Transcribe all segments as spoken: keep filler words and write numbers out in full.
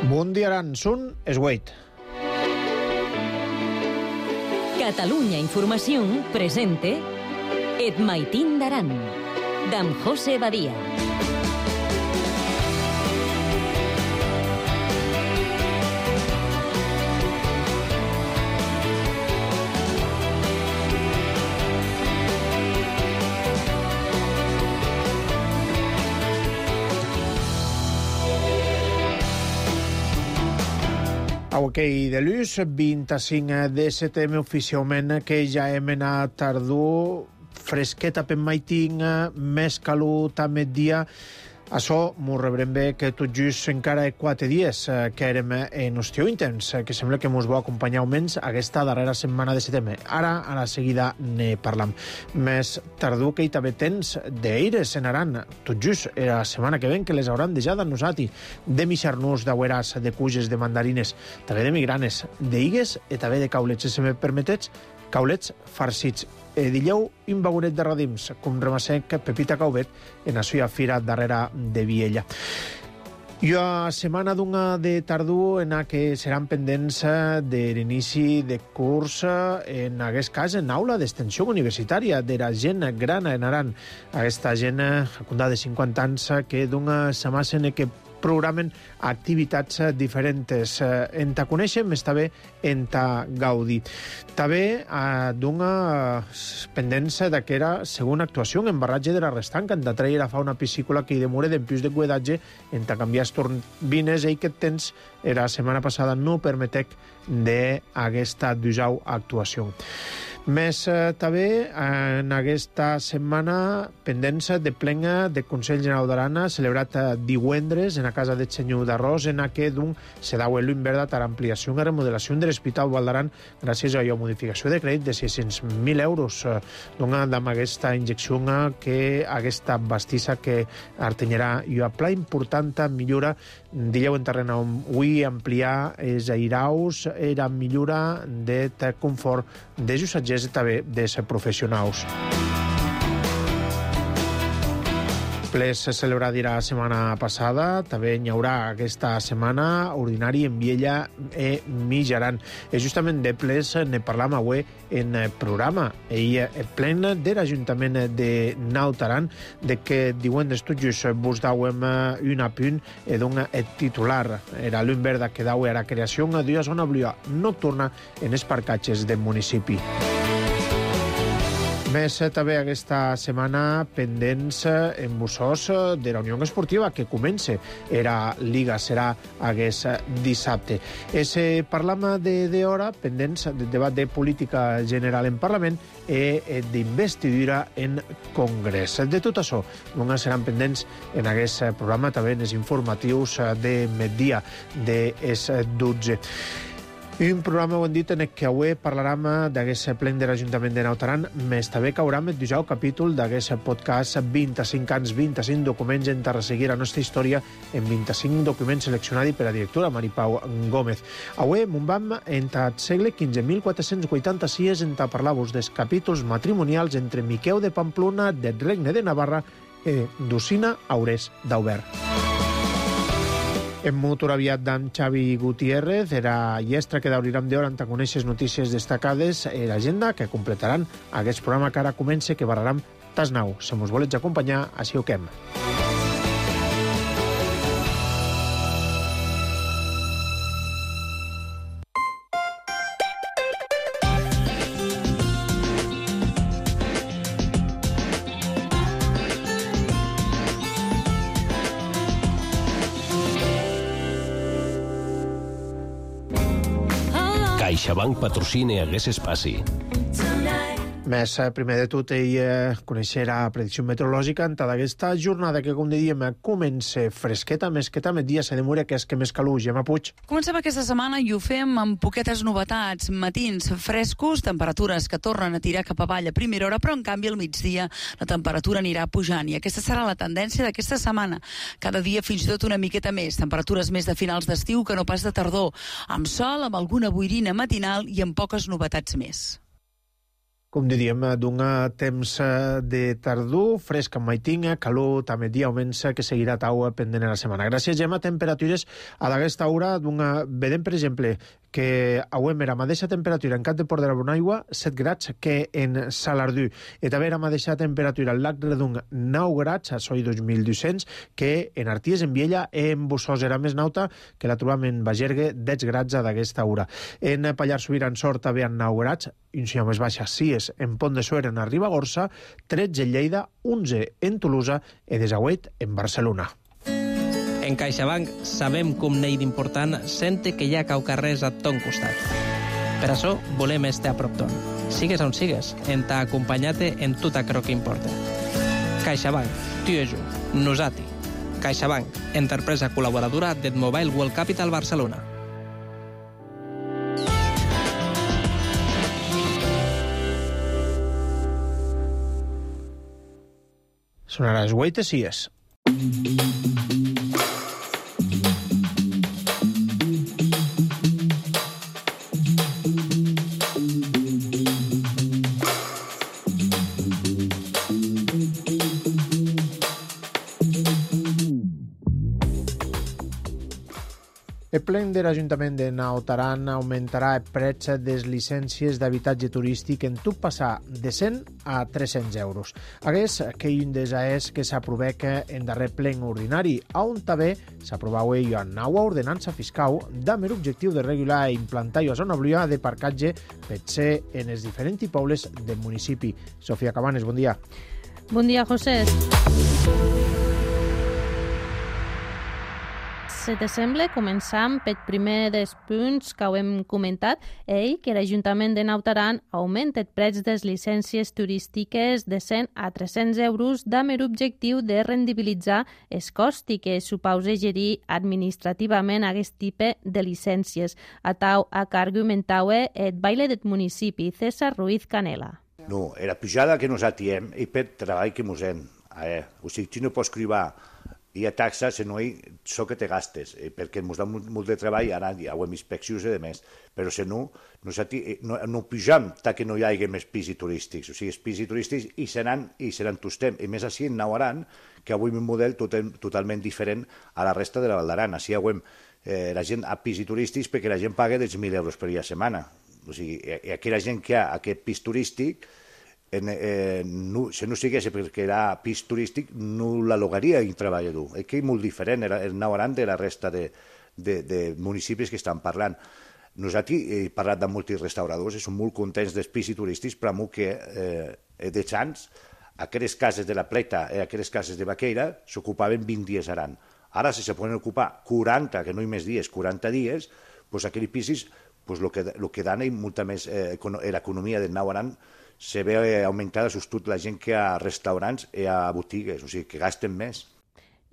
Mundiaran Sun Esweit. Catalunya Información presente Et Maitín d'Aran, d'en José Badia. Auquei de luz, vint-i-cinc de setembre oficialment, que ja hem anat tardor, fresqueta per maitin, més calor també dia. Això m'ho rebrem bé que tot just encara quatre dies que érem en estiu intens, que sembla que mos va acompanyar almenys aquesta darrera setmana de setembre. Ara, a la seguida, ne parlam. Més tardor que hi també tens d'aires en Aran. Tot just era la setmana que ven que les hauran deixat a nosati. De mixarnús, d'agüeràs, de cuges, de mandarines, també de migranes, d'igues i també de caulets. Si me permetets, caulets farcits. E dilleu un vagonet de radims, com remassec Pepita Caubet en la seva fira darrere de Viella. I a setmana d'una de tardor en la que seran pendents de l'inici de curs, en aquest cas en aula d'extensió universitària de la gent gran en Aran. Aquesta gent, acundada de cinquanta anys, que d'una setmana que programen activitats diferents. En ta conèixer, més també en ta gaudir. També eh, d'una pendència d'aquera segona actuació en barratge de la restanca, en ta treure a fa una piscícola que hi demora d'en pius de cuidatge, en ta canviar els turbines, i que temps era la setmana passada no permetec d'aquesta dusau actuació. Més eh, també en aquesta setmana pendència de plena de Consell General d'Arana celebrat eh, divendres en la casa de Senyor d'Arròs, en la que d'un se dau el inverdat a l'ampliació i remodelació de l'Hospital Vall d'Aran gràcies a la modificació de crèdit de sis-cents mil euros. Eh, Dona amb aquesta injecció que aquesta bastissa que artenyerà i a pla important millora dilleu en terreny on avui ampliar els airaus era millora de confort de jussatgers i també de ser professionals. Ple se celebrarà la setmana passada, també hi haurà aquesta setmana ordinari en Viella e Mijaran. I justament de ples ne parlam avui en programa. Ell és plen de l'Ajuntament de Naut Aran, de que divendres tot just vos dauem un apunt i d'un titular. Era l'un verda que dau a la creació d'una zona blua nocturna en els parcatges del municipi. Més també aquesta setmana pendents en bussós de la Unió Esportiva que comença. Era Liga, serà aquest dissabte. Es parlam de d'hora pendents del debat de política general en Parlament i d'investidura en Congrés. De tot això, només seran pendents en aquest programa, també en els informatius de migdia de les dotze. Un programa, ho hem dit, en què avui parlarem d'aquest ple de l'Ajuntament de Naut Aran, més també caurem el dijous capítol d'aquest podcast vint-i-cinc anys, vint-i-cinc documents en resseguir la nostra història en vint-i-cinc documents seleccionats per la directora Maripau Gómez. Avui m'ho vam en el segle quinze, mil quatre-cents vuitanta-sis, en parlar-vos dels capítols matrimonials entre Miqueu de Pamplona, del Regne de Navarra i Dusina Aurès d'Aubert. Hem motor aviat d'en Xavi Gutiérrez, era llestra que d'obrirem d'hora en conèixer notícies destacades i l'agenda que completaran aquest programa que ara comença, que barrarem tas nou. Si mos volets acompanyar, així ho quem. CaixaBank patrocina aquest espai. Més, primer de tot, ell eh, conèixer la predicció meteorològica en aquesta jornada que, com dèiem, comença fresqueta, mesqueta, met dia se demora que és que més calor. Gemma Puig. Comencem aquesta setmana i ho fem amb poquetes novetats. Matins frescos, temperatures que tornen a tirar cap avall a primera hora, però en canvi al migdia la temperatura anirà pujant i aquesta serà la tendència d'aquesta setmana. Cada dia fins i tot una miqueta més, temperatures més de finals d'estiu que no pas de tardor, amb sol, amb alguna boirina matinal i amb poques novetats més. Com diríem, d'un temps de tardor, fresc en maitinga, calor també dia augments que seguirà taua pendent a la setmana. Gràcies, Gemma, temperatures a d'aquesta hora d'una... Vedem, per exemple, que avui era la mateixa temperatura en Cap de Port de la Bonaigua, set grads, que en Salardú. I també la mateixa temperatura al Lac Redung, nou grads, a Soi dos mil dos-cents, que en Arties, en Viella, en Bossós era més nauta, que la trobam en Bagergue, deu grads a d'aquesta hora. En Pallars Sobirà, en Sort, també en nou grads, i una més baixa, sis en Pont de Suert, en Ribagorça, tretze en Lleida, onze en Tolosa i desahuit en Barcelona. En CaixaBank sabem com n'hi d'important sente que hi ha cau carrers a ton costat. Per això volem estar a prop ton. Sigues on sigues, en t'ha acompanyat en tot aquello que importa. CaixaBank, tu i jo, nosati. CaixaBank, empresa col·laboradora del Mobile World Capital Barcelona. Sonarà els Guaites i és. El ple de l'Ajuntament de Naut Aran augmentarà el preu de les llicències d'habitatge turístic en tot passar de cent a tres-cents euros. Aquest que un dels és que s'aprovec en darrer ple ordinari, on també s'aprovava una nova ordenança fiscal amb l'objectiu de regular i implantar una zona blua de parcatge per ser en els diferents pobles del municipi. Sofia Cabanes, bon dia. Bon dia, José. Si te sembla, començam pel primer dels punts que ho hem comentat, ell, que l'Ajuntament de Naut Aran augmenta el preu de les llicències turístiques de cent a tres-cents euros amb l'objectiu de rendibilitzar el cost que suposa gerir administrativament aquest tipus de llicències. A tau a que argumentava el baile del municipi, César Ruiz Canela. No, era pujada que nos atiem i per treball que mos hem. Eh? O sigui, tu no pots cribar hi ha taxes, no hi so que te gastes, eh, perquè ens da molt, molt de treball, ara hi ha inspeccions i demés, però si no, no, no, no pujam tant que no hi hagi més pisos turístics, o sigui, els pisos turístics hi seran, hi seran tostem, i més així en Naut Aran, que avui un model tot, totalment diferent a la resta de la Val d'Aran, així avui eh, la gent a pisos turístics perquè la gent paga dels mil euros per dia a setmana, o sigui, i aquella gent que ha aquest pis turístic, En, eh, no, si no sigués perquè era pis turístic, no l'alogaria un treballador. És que és molt diferent el Naut Aran de la resta de, de, de municipis que estan parlant. Nosaltres he parlat de molts restauradors i som molt contents dels pisos turístics, però molt que eh, de xans, aquelles cases de la Pleta i aquelles cases de Baqueira s'ocupaven vint dies a l'any. Ara, si se poden ocupar quaranta, que no hi més dies, quaranta dies, doncs aquells pisos, pues, lo que, lo que dan és molta més eh, l'economia del Naut Aran se ve augmentada sobretot la gent que a restaurants i a botigues, o sigui, que gasten més.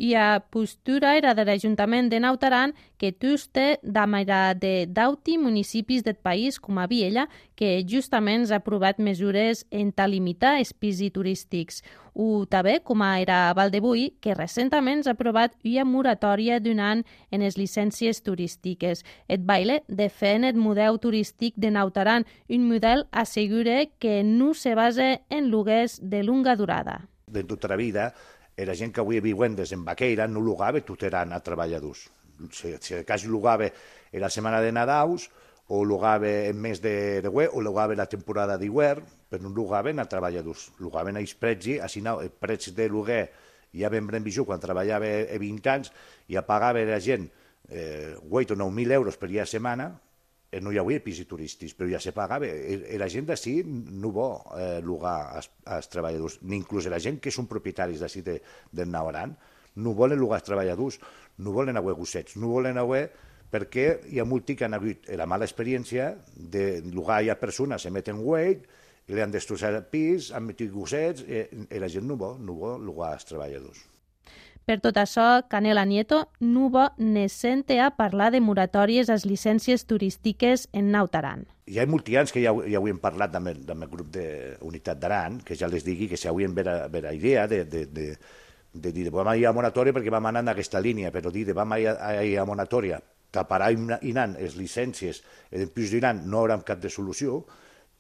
I a postura era de l'Ajuntament de Naut Aran que tuste d'amara de dauti municipis del país, com a Viella, que justament ha aprovat mesures en ta limitar els pisos turístics. O també, com a era Valdebui, que recentment ha aprovat una moratòria d'un any en les llicències turístiques. Et baile defèn el model turístic de Naut Aran, un model assegura que no se basa en lloguers de longa durada. De tota la vida, la gent que avui viuen des en Baqueira no logava tot eren a treballadors. Si, si de cas logava la setmana de Nadaus, o logava en mes de deu, o logava la temporada d'hivern, però no logaven a treballadors. Logaven a els preus, així no, el preu de lloguer ja vam revisar quan treballava a vint anys, ja pagava la gent eh, vuit o nou mil euros per dia a setmana, no hi havia pisos turístics, però ja se pagava. I la gent d'ací no vol eh, llogar als, als treballadors, ni inclús la gent que són propietaris d'ací de, del Naut Aran, no volen llogar als treballadors, no volen haver gossets, no volen haver perquè hi ha molts que han hagut la mala experiència de llogar a persones, se meten wait, i li han destrossat el pis, han metit gossets, i, i la gent no vol, no vol llogar als treballadors. Per tot això, Canela Nieto no va ne sente a parlar de moratòries a les llicències turístiques en Naut Aran. Hi ha molts anys que ja, ja ho hem parlat amb el, amb el grup d'Unitat d'Aran, que ja les digui que si avui vera, vera idea de, de, de, de dir vam ir a moratòria perquè vam anar en aquesta línia, però dir vam ir a, a moratòria, taparà i anant les llicències del pis d'Iran no haurà cap de solució,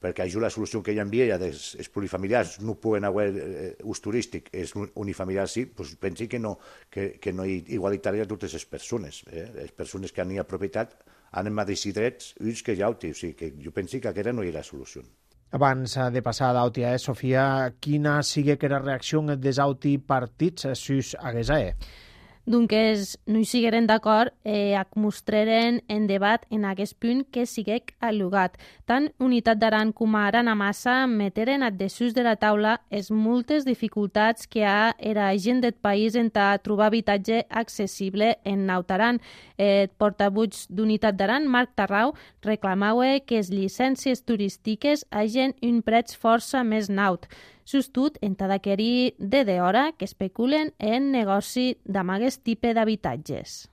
perquè això la solució que hi havia ja dels plurifamiliars no poden haver eh, ús turístic, és unifamiliar sí, doncs pensi que no, que, que no hi igualitària a totes les persones. Eh? Les persones que han hi propietat han de decidir drets, uns que ja ho té, o sigui que jo penso que aquesta no hi ha la solució. Abans de passar d'auti, eh, Sofia, quina sigui que la reacció dels auti partits sus aguesa, eh? Doncs no hi sigueren d'acord eh, ac mostraren en debat en aquest punt que siguec al·lugat. Tant Unitat d'Aran com a Aran Amassa meteren a dessús de la taula es moltes dificultats que ha era gent del país en a trobar habitatge accessible en Nautaran. El eh, portabuig d'Unitat d'Aran, Marc Tarrau, reclamava que les llicències turístiques hagin un preu força més naut. Sustut en tadaquerí de d'hora que especulen en negoci d'amaguest tipus d'habitatges.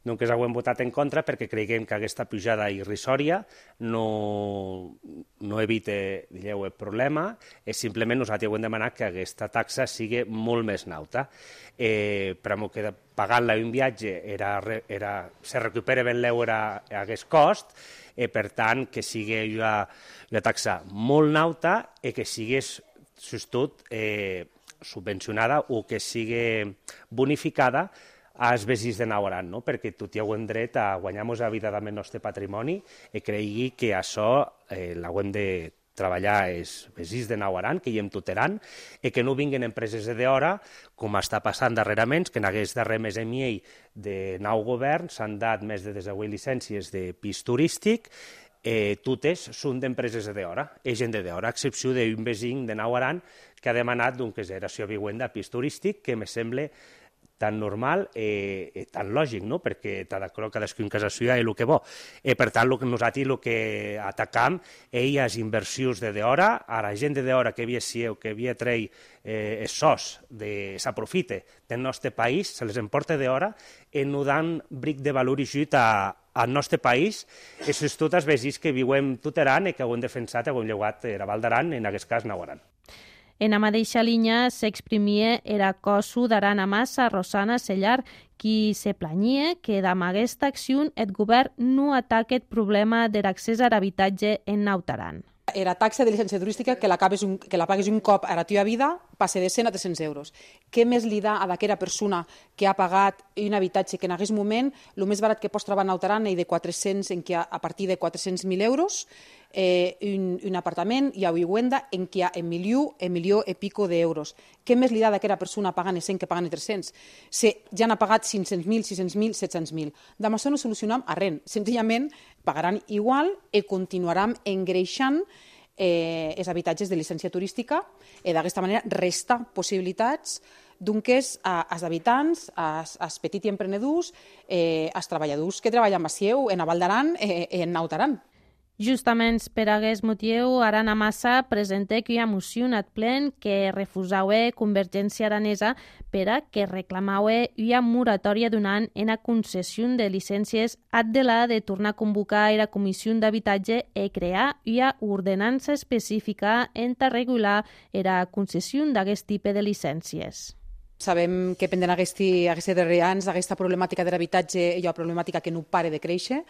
Donc ho hem votat en contra perquè creiem que aquesta pujada irrisòria no, no evita, digueu, el problema, és simplement nosaltres hem demanat que aquesta taxa sigui molt més nauta. Eh, per a que pagant-la un viatge era, era, se recupera ben l'euro a aquest cost, eh, per tant que sigui una, una taxa molt nauta i que sigués sostut eh, subvencionada o que sigui bonificada als veïns de Nautaran, no? Perquè tot hi hem dret a guanyar-nos la vida amb el nostre patrimoni i cregui que això eh, l'hem de treballar els veïns de Nautaran, que hi hem tuteran, i que no vinguin empreses de d'hora, com està passant darrerament, que en aquest darrer mes i mig de nou govern s'han dat més de desavuit llicències de pis turístic. Eh, totes són d'empreses de d'hora, és gent de d'hora, a excepció d'un veí de Nautaran que ha demanat una consideració vivenda a pis turístic, que me sembla tan normal i eh, tan lògic, no? Perquè cadascun casa seva és el que vol. Eh, per tant, lo que nosaltres el que atacam és les inversions de d'hora, a la gent de d'hora que havia sieu, que havia tret eh, els sos, de, s'aprofite del nostre país, se les emporta d'hora i no dan bric de valor i jut a al nostre país, i és tot els veïns que viuen tuteran i que ho hem defensat, ho hem llevat a Val d'Aran, en aquest cas Nautaran. En la mateixa línia s'exprimia era cosu d'Aran Amassa, Rosana Sellar, qui se planyia que damb aquesta acció el govern no ataca el problema de l'accés a l'habitatge en Nautaran. Era taxa de llicència turística que la, un, que la pagues un cop a la teva vida passa de cent a tres-cents euros. Què més li dà a d'aquella persona que ha pagat un habitatge que en aquest moment el més barat que pots trobar a Nautaran és de quatre-cents, en què a partir de quatre-cents mil euros, eh, un, un apartament i a vivenda en què hi ha un milió, un milió i pico d'euros. Què més li dà d'aquella persona pagant els cent que paguen els tres-cents? Si ja n'ha pagat cinc-cents mil, sis-cents mil, set-cents mil. Amb això no solucionam a res. Senzillament pagaran igual i continuaran engreixant eh, els habitatges de llicència turística i d'aquesta manera resta possibilitats doncs als habitants, als, als petits emprenedors, eh, als treballadors que treballen a Sieu, en Val d'Aran i eh, en Nautaran. Justament per aquest motiu, Aran Amassa presenta una moció en el plen que refusava Convergència Aranesa per a que reclamava una moratòria d'un any en la concessió de llicències ad de la de tornar a convocar la Comissió d'Habitatge i crear una ordenança específica en a regular la concessió d'aquest tipus de llicències. Sabem que pendent aquests darrers anys, aquesta problemàtica de l'habitatge hi ha una problemàtica que no para de créixer.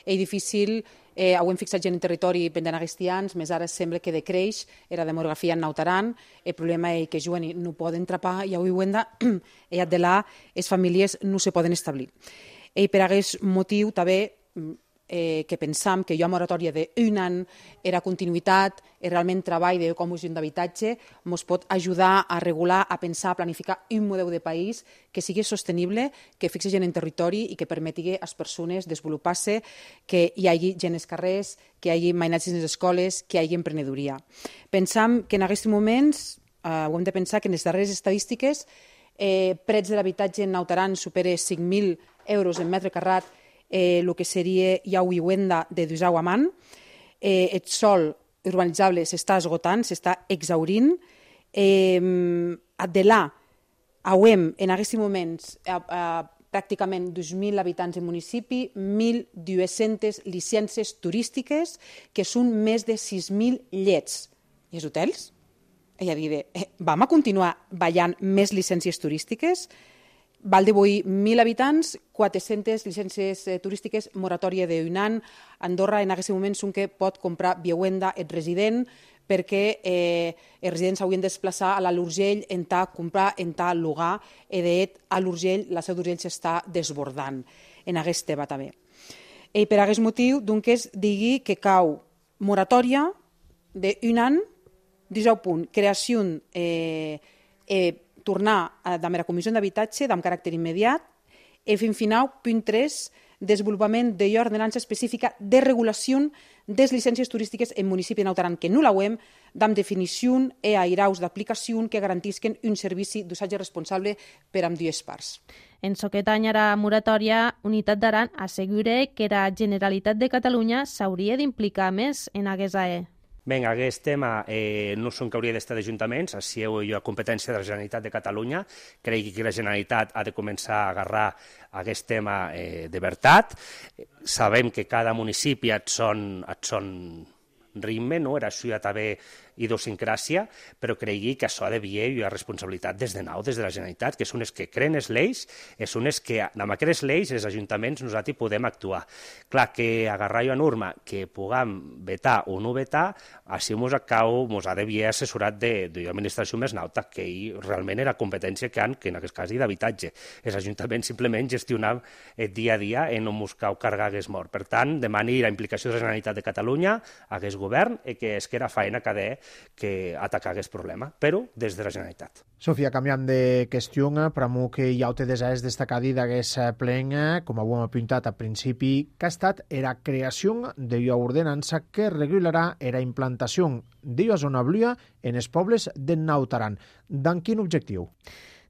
És difícil, eh, ho hem fixat gent en territori pendent aquests anys, més ara sembla que decreix la demografia en Nautaran. El problema és que juguen i no poden trapar i a vivenda i de là les famílies no se poden establir. I per aquest motiu també Eh, que pensam que hi ha moratòria d'un any, era continuïtat, és realment treball de comissió d'habitatge, ens pot ajudar a regular, a pensar, a planificar un model de país que sigui sostenible, que fixe gent en territori i que permeti a les persones desenvolupar-se, que hi hagi gent als carrers, que hi hagi mainatges en les escoles, que hi hagi emprenedoria. Pensam que en aquests moments, eh, ho hem de pensar que en les darreres estadístiques, eh, preus de l'habitatge en Nautaran supera cinc mil euros en metre carrat, el eh, que seria ja una vivenda de Dusau a man, eh, el sòl urbanitzable s'està esgotant, s'està exhaurint. Eh, de là, hem en aquests moments a, a, pràcticament dos mil habitants del municipi, mil dues-centes llicències turístiques, que són més de sis mil llets. I els hotels? És a dir, eh, vam a continuar ballant més llicències turístiques? Val de Boí, mil habitants, quatre-centes llicències eh, turístiques, moratòria d'un any. Andorra, en aquest moment, són que pot comprar viuenda et resident, perquè eh, els residents s'haurien de desplaçar a l'Urgell, en ta comprar, en ta llogar, i d'et a l'Urgell, la seu d'Urgell s'està desbordant en aquest tema també. I per aquest motiu, doncs, digui que cau moratòria d'un any, disset punt, creació, eh, eh, tornar a la comissió d'habitatge amb caràcter immediat, i fins final, punt tres, desenvolupament de ordenança específica de regulació de les llicències turístiques en municipi de Naut Aran, que no la U E M, amb definició i airaus d'aplicació que garantisquen un servici d'usatge responsable per amb dues parts. En aquest any a la moratòria, Unitat d'Aran assegura que la Generalitat de Catalunya s'hauria d'implicar més en aquest A E. Bé, aquest tema eh, no són que hauria d'estar d'ajuntaments, així heu jo a competència de la Generalitat de Catalunya. Crec que la Generalitat ha de començar a agarrar aquest tema eh, de veritat. Sabem que cada municipi et son, et son ritme, no? Era això ja també idiosincràsia, però cregui que això ha de vier i la responsabilitat des de nou, des de la Generalitat, que són els que creen les lleis, són els que, amb aquestes lleis, els ajuntaments, nosaltres podem actuar. Clar, que agarrar jo a norma, que puguem vetar o no vetar, així mos acau, mos ha de vier assessorat de, de l'administració més nauta, que ell realment era competència que han, que en aquest cas, d'habitatge. Els ajuntaments simplement gestionaven el dia a dia i no mos cau cargar hagués mort. Per tant, demani la implicació de la Generalitat de Catalunya, hagués govern, i que és que era feina que ha de que atacar aquest problema, però des de la Generalitat. Sofia, canviant de qüestió, per a que ja ho te desès destacar d'aquest plen, com ho hem apuntat al principi, que ha estat la creació d'una ordenança que regularà la implantació d'una zona blua en els pobles de Naut Aran. D'en quin objectiu?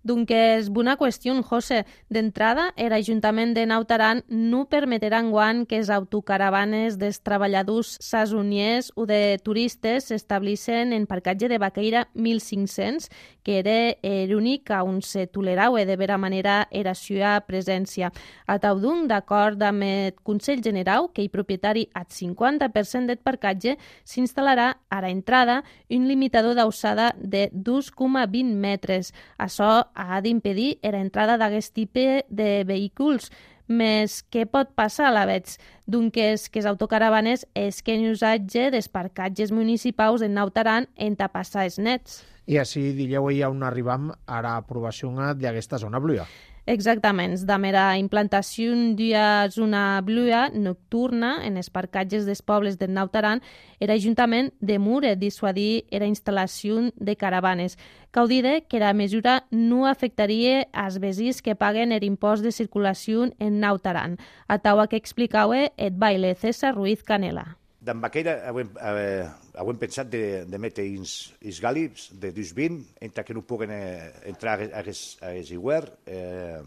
Donc és bona qüestió, José. D'entrada, l'Ajuntament de Naut Aran no permetrà enguany que les autocaravanes dels treballadors sasoniers o de turistes s'estableixen en parcatge de Baqueira mil cinc-cents, que era l'únic on se tolerava de vera manera era seva presència. A Taudun, d'acord amb el Consell General, que hi propietari al cinquanta per cent del parcatge, s'instal·larà a l'entrada un limitador d'alçada de dos coma vint metres. Això ha d'impedir l'entrada d'aquest tipus de vehicles. Més què pot passar a la veig? Donc és que les autocaravanes és que en usatge dels parcatges municipals en Naut Aran en passar els nets. I així dieu ja on arribam a l'aprovació d'aquesta zona blua. Exactament, amb la implantació d'una zona blua nocturna en els parcatges dels pobles de Naut Aran, l'Ajuntament demura dissuadir la instal·lació de caravanes. Cal dir que la mesura no afectaria als veïns que paguen l'impost de circulació en Naut Aran. A taua que explicava el baile César Ruiz Canela. D'en Baqueira hem, eh, hem pensat de, de metre uns, uns gàlips de dos vint, entre que no puguen eh, entrar a aquest iguer. Eh,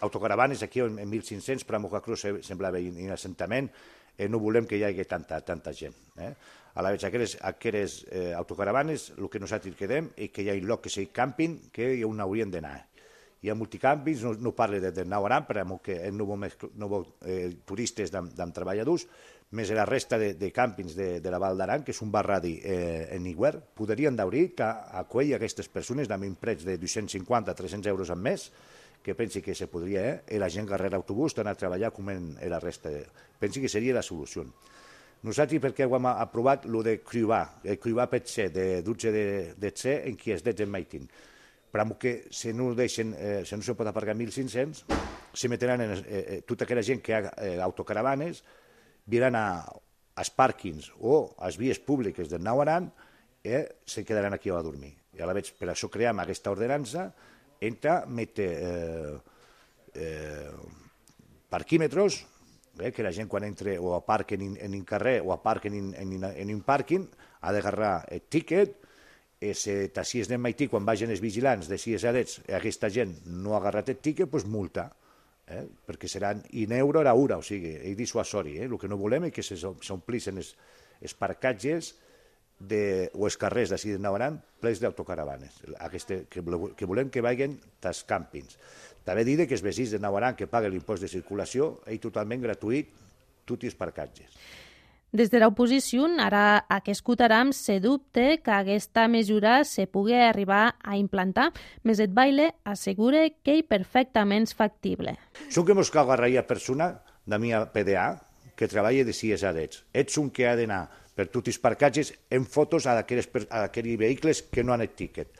autocaravanes aquí en, en mil cinc-cents, per a Mocacruz semblava un assentament, eh, no volem que hi hagi tanta, tanta gent. Eh? A la vegada, aquestes, aquestes eh, autocaravanes, el que nosaltres quedem és que hi ha un lloc que sigui càmping, que on haurien d'anar. Hi ha multicàmpings, no, no parle de, de Naut Aran, perquè no vol, no vol eh, turistes amb, amb treballadors, més la resta de, de càmpings de, de la Val d'Aran, que és un barradi eh, en Iguer, podrien d'obrir que acollir aquestes persones amb un preu de dos-cents cinquanta a tres-cents euros al mes, que pensi que se podria, eh? I la gent agarrar l'autobús, anar a treballar com en la resta. De... Pensi que seria la solució. Nosaltres, perquè ho hem aprovat, el de Criuà, el Criuà pot ser de dotze de, de C en qui es dets en Maitín. Però que si no, deixen, eh, si no se pot aparcar mil cinc-cents, se metran en, eh, eh, tota aquella gent que ha eh, autocaravanes, viran a, als pàrquings o a les vies públiques del Naut Aran i eh, se quedaran aquí a dormir. I a la vegada, per això creem aquesta ordenança, entra, mete eh, eh, parquímetres, eh, que la gent quan entra o aparquen en, en un carrer o aparquen en, en, en un pàrquing ha d'agarrar el tíquet, i si si es anem Maití, quan vagin els vigilants de si és adets, aquesta gent no ha agarrat el tíquet, doncs multa. Eh? Perquè seran un euro a hora, o sigui, és dissuasori. Eh? El que no volem és que s'omplissin els, els parcatges de, o els carrers d'ací de Naut Aran plens d'autocaravanes, Aquesta, que, que volem que vagin als càmpings. També dir que els veïns de Naut Aran que paguen l'impost de circulació és totalment gratuït tots els parcatges. Des de l'oposició, ara que escoltarem, se dubte que aquesta mesura se pugui arribar a implantar, més et baile assegura que és perfectament factible. Som que mos cal agarrar persona de mi P D A que treballa de sis arets. Ets un que ha d'anar per tots els parcatges en fotos a aquells vehicles que no han el tiquet.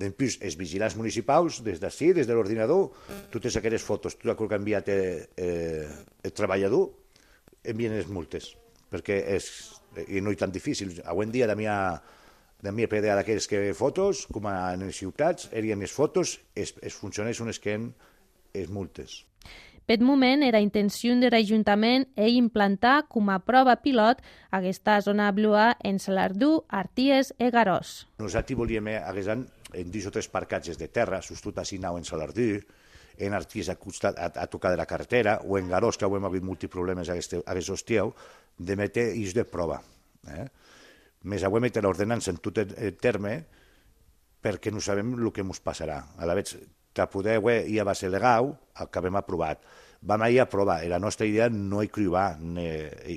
Després, els vigilants municipals, des d'ací, des de l'ordinador, totes aquelles fotos, tot el que ha enviat el treballador, envien les multes, perquè no és tan difícil. Avui en dia, de mi P D A d'aquells que fotos, com en les ciutats, erien les fotos, els funcionaris són els que han les multes. Per moment, la intenció de l'Ajuntament és implantar com a prova pilot aquesta zona blua en Salardú, Arties i Garòs. Nosaltres volíem haguesar en dos o tres parcatges de terra, sostut a Sinau en Salardú, en Arties a, a tocar de la carretera, o en Garòs, que avui hem hagut molts problemes aquest hostiau, de metre eix de prova. Eh? Més avui metre l'ordenança en tot el terme perquè no sabem el que ens passarà. A la vegada, que poder ja va ser legal, el que hem aprovat. Vam ahir a provar, la nostra idea no és cribar,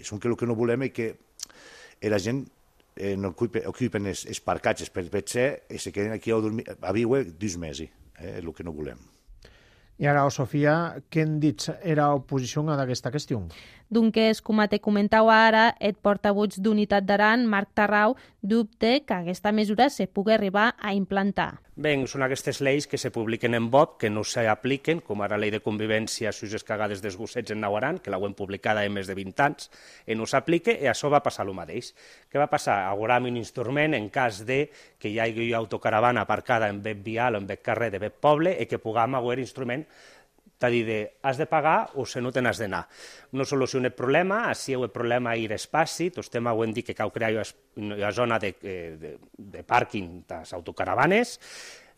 som que el que no volem és que la gent no ocupen els parcatges per ser i se queden aquí a viure dos mesos, és el que no volem. I ara, Sofia, què han dit era oposició a aquesta qüestió? Doncs, com te comentava ara, el portavoig d'Unitat d'Aran, Marc Tarrau, dubte que aquesta mesura se pugui arribar a implantar. Bé, són aquestes lleis que se publiquen en B O P, que no s'apliquen, com ara la llei de convivència a les cagades dels gossets en Nauaran, que l'hem publicada en més de vint anys, i no s'aplica, i això va passar el mateix. Què va passar? Agoram un instrument en cas de que hi hagi autocaravana aparcada en bet vial o en bet carrer de bet poble i que puguem haver instrument de dir, has de pagar o se no te n'has d'anar. No soluciona el problema, així el problema és l'espai, tots estem havent dit que cal crear una zona de, de, de pàrquing de les autocaravanes.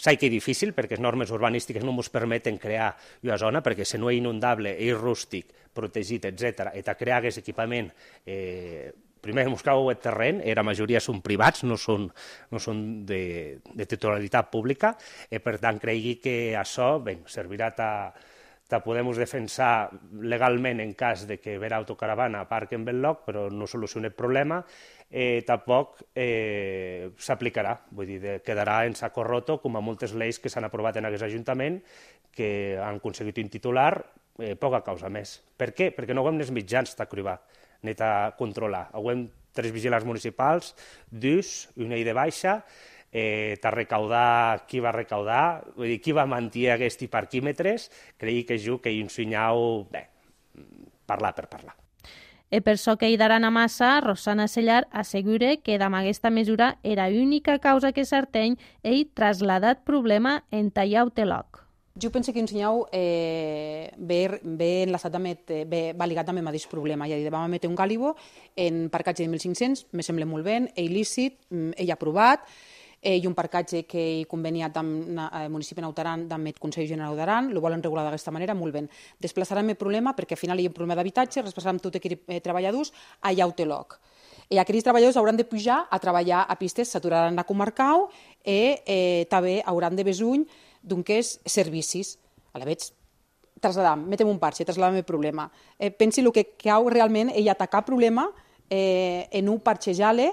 Sé que és difícil perquè les normes urbanístiques no ens permeten crear una zona perquè si no és inundable, és rústic, protegit, etcètera, i de crear aquest equipament eh, primer ens cal el terreny, la majoria són privats, no són, no són de, de titularitat pública, i per tant cregui que això bé, servirà a te podem defensar legalment en cas de que vera autocaravana aparquen en lloc, però no soluciona el problema, eh, tampoc eh, s'aplicarà, vull dir, de, quedarà en saco roto, com a moltes lleis que s'han aprovat en aquest Ajuntament, que han aconseguit un titular, eh, poca causa més. Per què? Perquè no ho hem els mitjans de cribar, ni de controlar. Ho hem tres vigilants municipals, dos, una i de baixa, Eh, de recaudar qui va recaudar, vull dir, qui va mentir aquests parquímetres, creia que jo que hi un senyal, bé, parlar per parlar. E per això que hi daran a massa, Rosana Sellar assegura que amb aquesta mesura era l'única causa que Sarteny ell trasladat problema en tallar el teloc. Jo penso que un senyal eh, ve, ve enlaçat amb, ve, va ligat amb el mateix problema. Ja dir, vam emetre un gàlibo en parcatge de mil cinc-cents, me sembla molt bé, és il·lícit, ell ha aprovat, i un parcatge que he conveniat amb el municipi de Nautaran, amb el Consell General d'Aran, ho volen regular d'aquesta manera, molt bé. Desplaçarem el problema, perquè al final hi ha un problema d'habitatge, desplaçarem tots aquells treballadors allà a Uteloc. I aquells treballadors hauran de pujar a treballar a pistes, s'aturaran a Comarcau i eh, també hauran de besuny d'uns servicis. A la veig, trasladam, metem un parxe, trasladam el problema. Eh, pensi el que cau realment és atacar el problema eh, en un parxejar-le,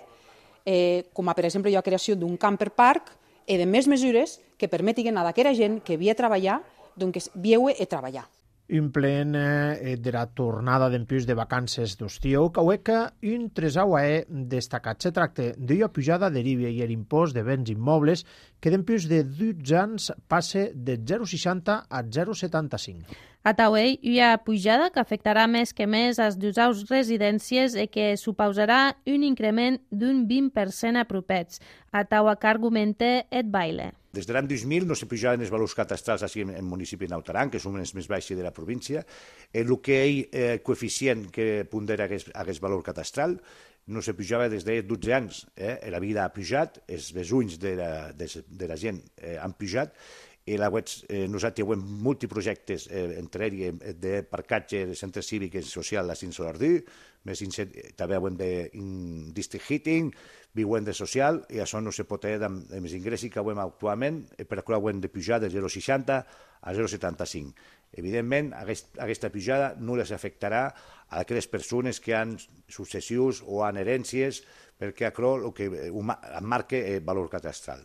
Eh, com a, per exemple, la creació d'un camper park i de més mesures que permetin a aquella gent que havia de treballar, doncs viure i treballar. Un plen eh, de la tornada d'empús de vacances d'estiu, que que un tresau è destacat. Se tracta d'una pujada de l'I V A i l'impost de béns immobles que d'empús de dotze anys passe de zero coma seixanta a zero coma setanta-cinc. A Tauell hi ha pujada que afectarà més que més les dues residències i que suposarà un increment d'un vint per cent apropets. A Taua que argumenta et baile. Des de l'any dos mil no se pujaven els valors catastrals així en el municipi de Nautaran, que són els més baixos de la província. El que hi ha coeficient que pondera aquest valor catastral no se pujava des de dotze anys. Eh? La vida ha pujat, els besunys de la, de, de la gent eh, han pujat, i la web, eh, nosaltres hem molts projectes, eh, entre ells de parcatge de centre cívic i social a Cinsolardú, més també hem de district heating, viuen de social, i això no se pot fer amb els ingressos que hem actualment, per la qual hem de pujar de zero coma seixanta a zero coma setanta-cinc. Evidentment, aquest, aquesta pujada no les afectarà a aquelles persones que han successius o han herències, perquè això el que marca el valor catastral.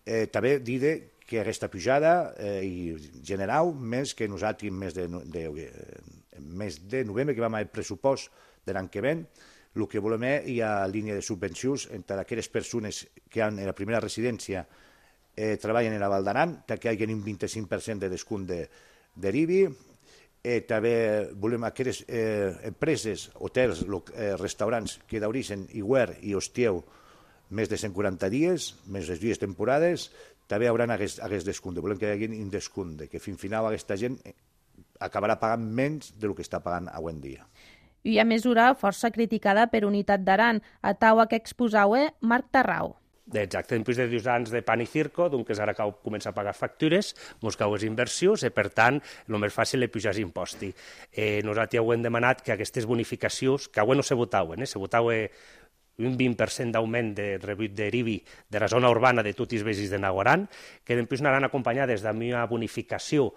Eh, també diré que aquesta pujada eh, i general, més que nosaltres més de, de, de, més de novembre, que vam al pressupost de l'any que ven, el que volem és hi ha línia de subvencions entre aquelles persones que han en la primera residència eh, treballen a la Val d'Aran, que hi hagi un vint-i-cinc per cent de descompte de, de l'I B I. Eh, també volem aquelles eh, empreses, hotels, eh, restaurants que d'origen Iguer i Hostieu més de cent quaranta dies, més les dies temporades, també hi haurà aquest, aquest descompte. Volem que hi hagi un descompte, que fins final aquesta gent acabarà pagant menys del que està pagant avui en dia. I a mesura força criticada per Unitat d'Aran, a taua que exposau Marc Tarrau. Exacte, després de dos anys de pan i circo, doncs ara cau començar a pagar factures, ens cau les inversions, i per tant, el més fàcil és pujar els impostos. Eh, nosaltres heu demanat que aquestes bonificacions, que avui no se votaven, eh, se votaven un vint per cent d'augment de rebut de l'I B I de la zona urbana de tots els veïns de Nagoran, que després anaran acompanyades d'una bonificació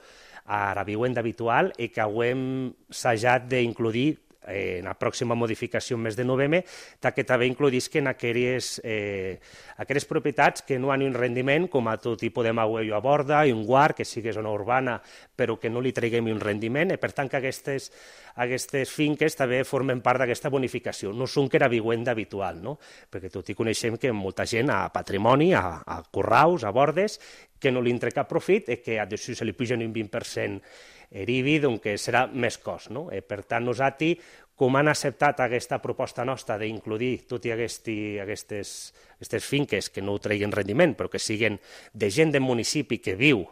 a la viuenda habitual i que hem assajat d'incluir en la pròxima modificació en mes de novembre, que també incloïsquen aquelles, eh, aquelles propietats que no han un rendiment, com a tot tipus de magüello a borda, i un guard, que sigui zona urbana, però que no li traguem un rendiment, i per tant que aquestes, aquestes finques també formen part d'aquesta bonificació. No són que era viuenda habitual, no? Perquè tot i coneixem que molta gent a patrimoni, a, a corraus, a bordes, que no li entra cap profit i que a d'això se li pugen un vint per cent l'I B I, doncs serà més cost. No? Eh, per tant, nosaltres, com han acceptat aquesta proposta nostra d'incluir totes aquestes, aquestes, aquestes finques que no treguin rendiment, però que siguin de gent del municipi que viu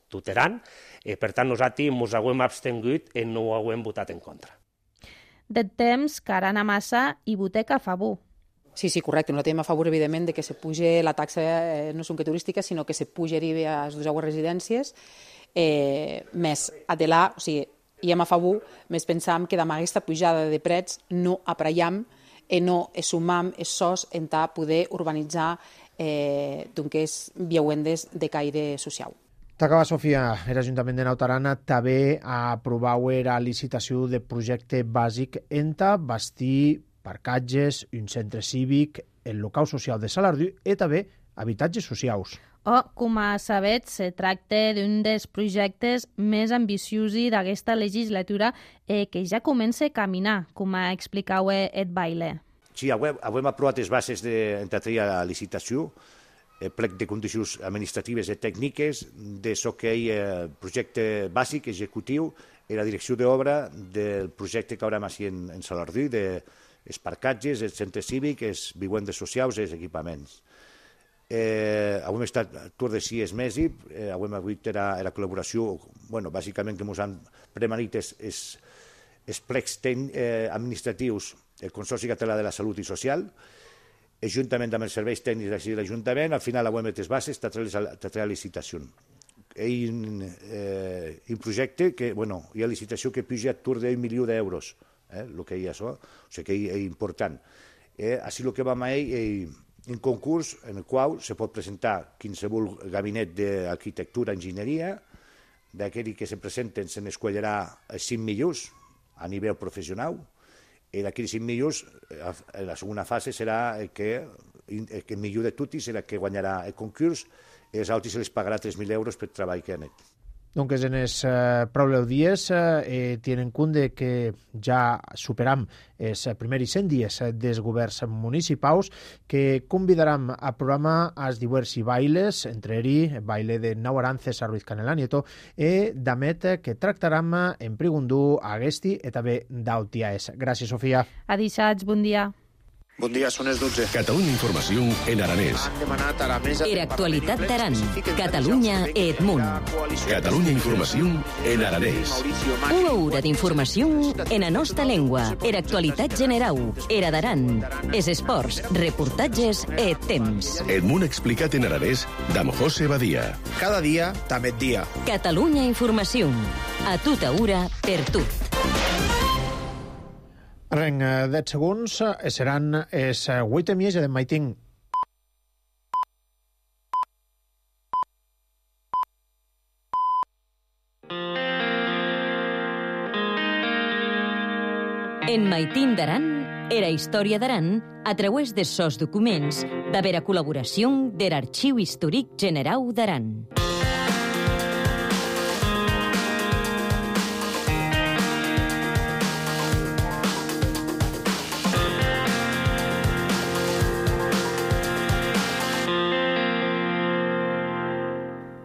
tuteran, eh, per tant, nosaltres ens hem abstengut i no ho hem votat en contra. De temps, Carana Massa i Boteca Fabú. Sí, sí, correcte. Nosaltres estem a favor, evidentment, de que se puge la taxa, eh, no són que turística, sinó que se puge l'I B I a les dues residències, eh, més adelar, o sigui, i hem a favor, més pensam que amb aquesta pujada de prets no apraiam i no sumam els sos en ta poder urbanitzar eh, doncs, viuendes de caire social. T'acaba, Sofia, l'Ajuntament de Naut Aran també ha aprovat la licitació de projecte bàsic enta bastir parcatges, un centre cívic, el local social de Salardú i també habitatges socials. O, com a sabets, se tracta d'un dels projectes més ambiciosos d'aquesta legislatura eh, que ja comença a caminar, com ha explicat Ed Baile. Sí, avui, avui hem aprovat les bases d'entrar a la licitació, el plec de condicions administratives i tècniques de so que hi ha projecte bàsic, executiu, i la direcció d'obra del projecte que haurem així en, en Salardú, de els parcatges, el centre cívic, els vivendes socials i els equipaments. Eh, avui hem estat tur de sis mesos, eh, avui hem hagut la, la col·laboració, bueno, bàsicament que ens han premanit els, els, els plecs ten, eh, administratius del Consorci Català de la Salut i Social, juntament amb els serveis tècnics de l'Ajuntament, al final avui hem les bases de la licitació. Hi ha un, eh, un projecte que, bueno, hi ha licitació que puja a tur d'un milió d'euros, eh, el que hi ha això, o sigui que és important. Eh, així el que vam a ell, eh, un concurs en el qual se pot presentar qualsevol gabinet d'arquitectura, enginyeria, d'aquells que se presenten se n'escollerà els cinc millors a nivell professional, i d'aquells cinc millors, la segona fase serà que el millor de tots serà que guanyarà el concurs, i els altres se les pagarà tres mil euros per treball que han fet. Donc en els eh, pròxims dies eh, tenen en compte que ja superam els primers cent dies dels governs municipals que convidaram a programa als diversos bailes, entre ells el baile de Naut Aran, César Ruiz Canela Nieto, i d'amet que tractaram en Prigundú, Agesti i també d'Autiaes. Gràcies, Sofia. Adixats, bon dia. Bon dia, són les dotze. Catalunya Informació en aranès. Era actualitat d'Aran. Catalunya et Munt. Catalunya Informació en aranès. Una hora d'informació en la nostra llengua. Era actualitat general. Era d'Aran. Es esports, reportatges e temps. Et Munt explicat en aranès d'Am José Badia. Cada dia, també dia. Catalunya Informació. A tota hora, per tot. En deu segons seran els vuit mies de Maitín. En Maitín d'Aran, era història d'Aran a través de sos documents d'haver col·laboració de l'Arxiu Històric Generau d'Aran.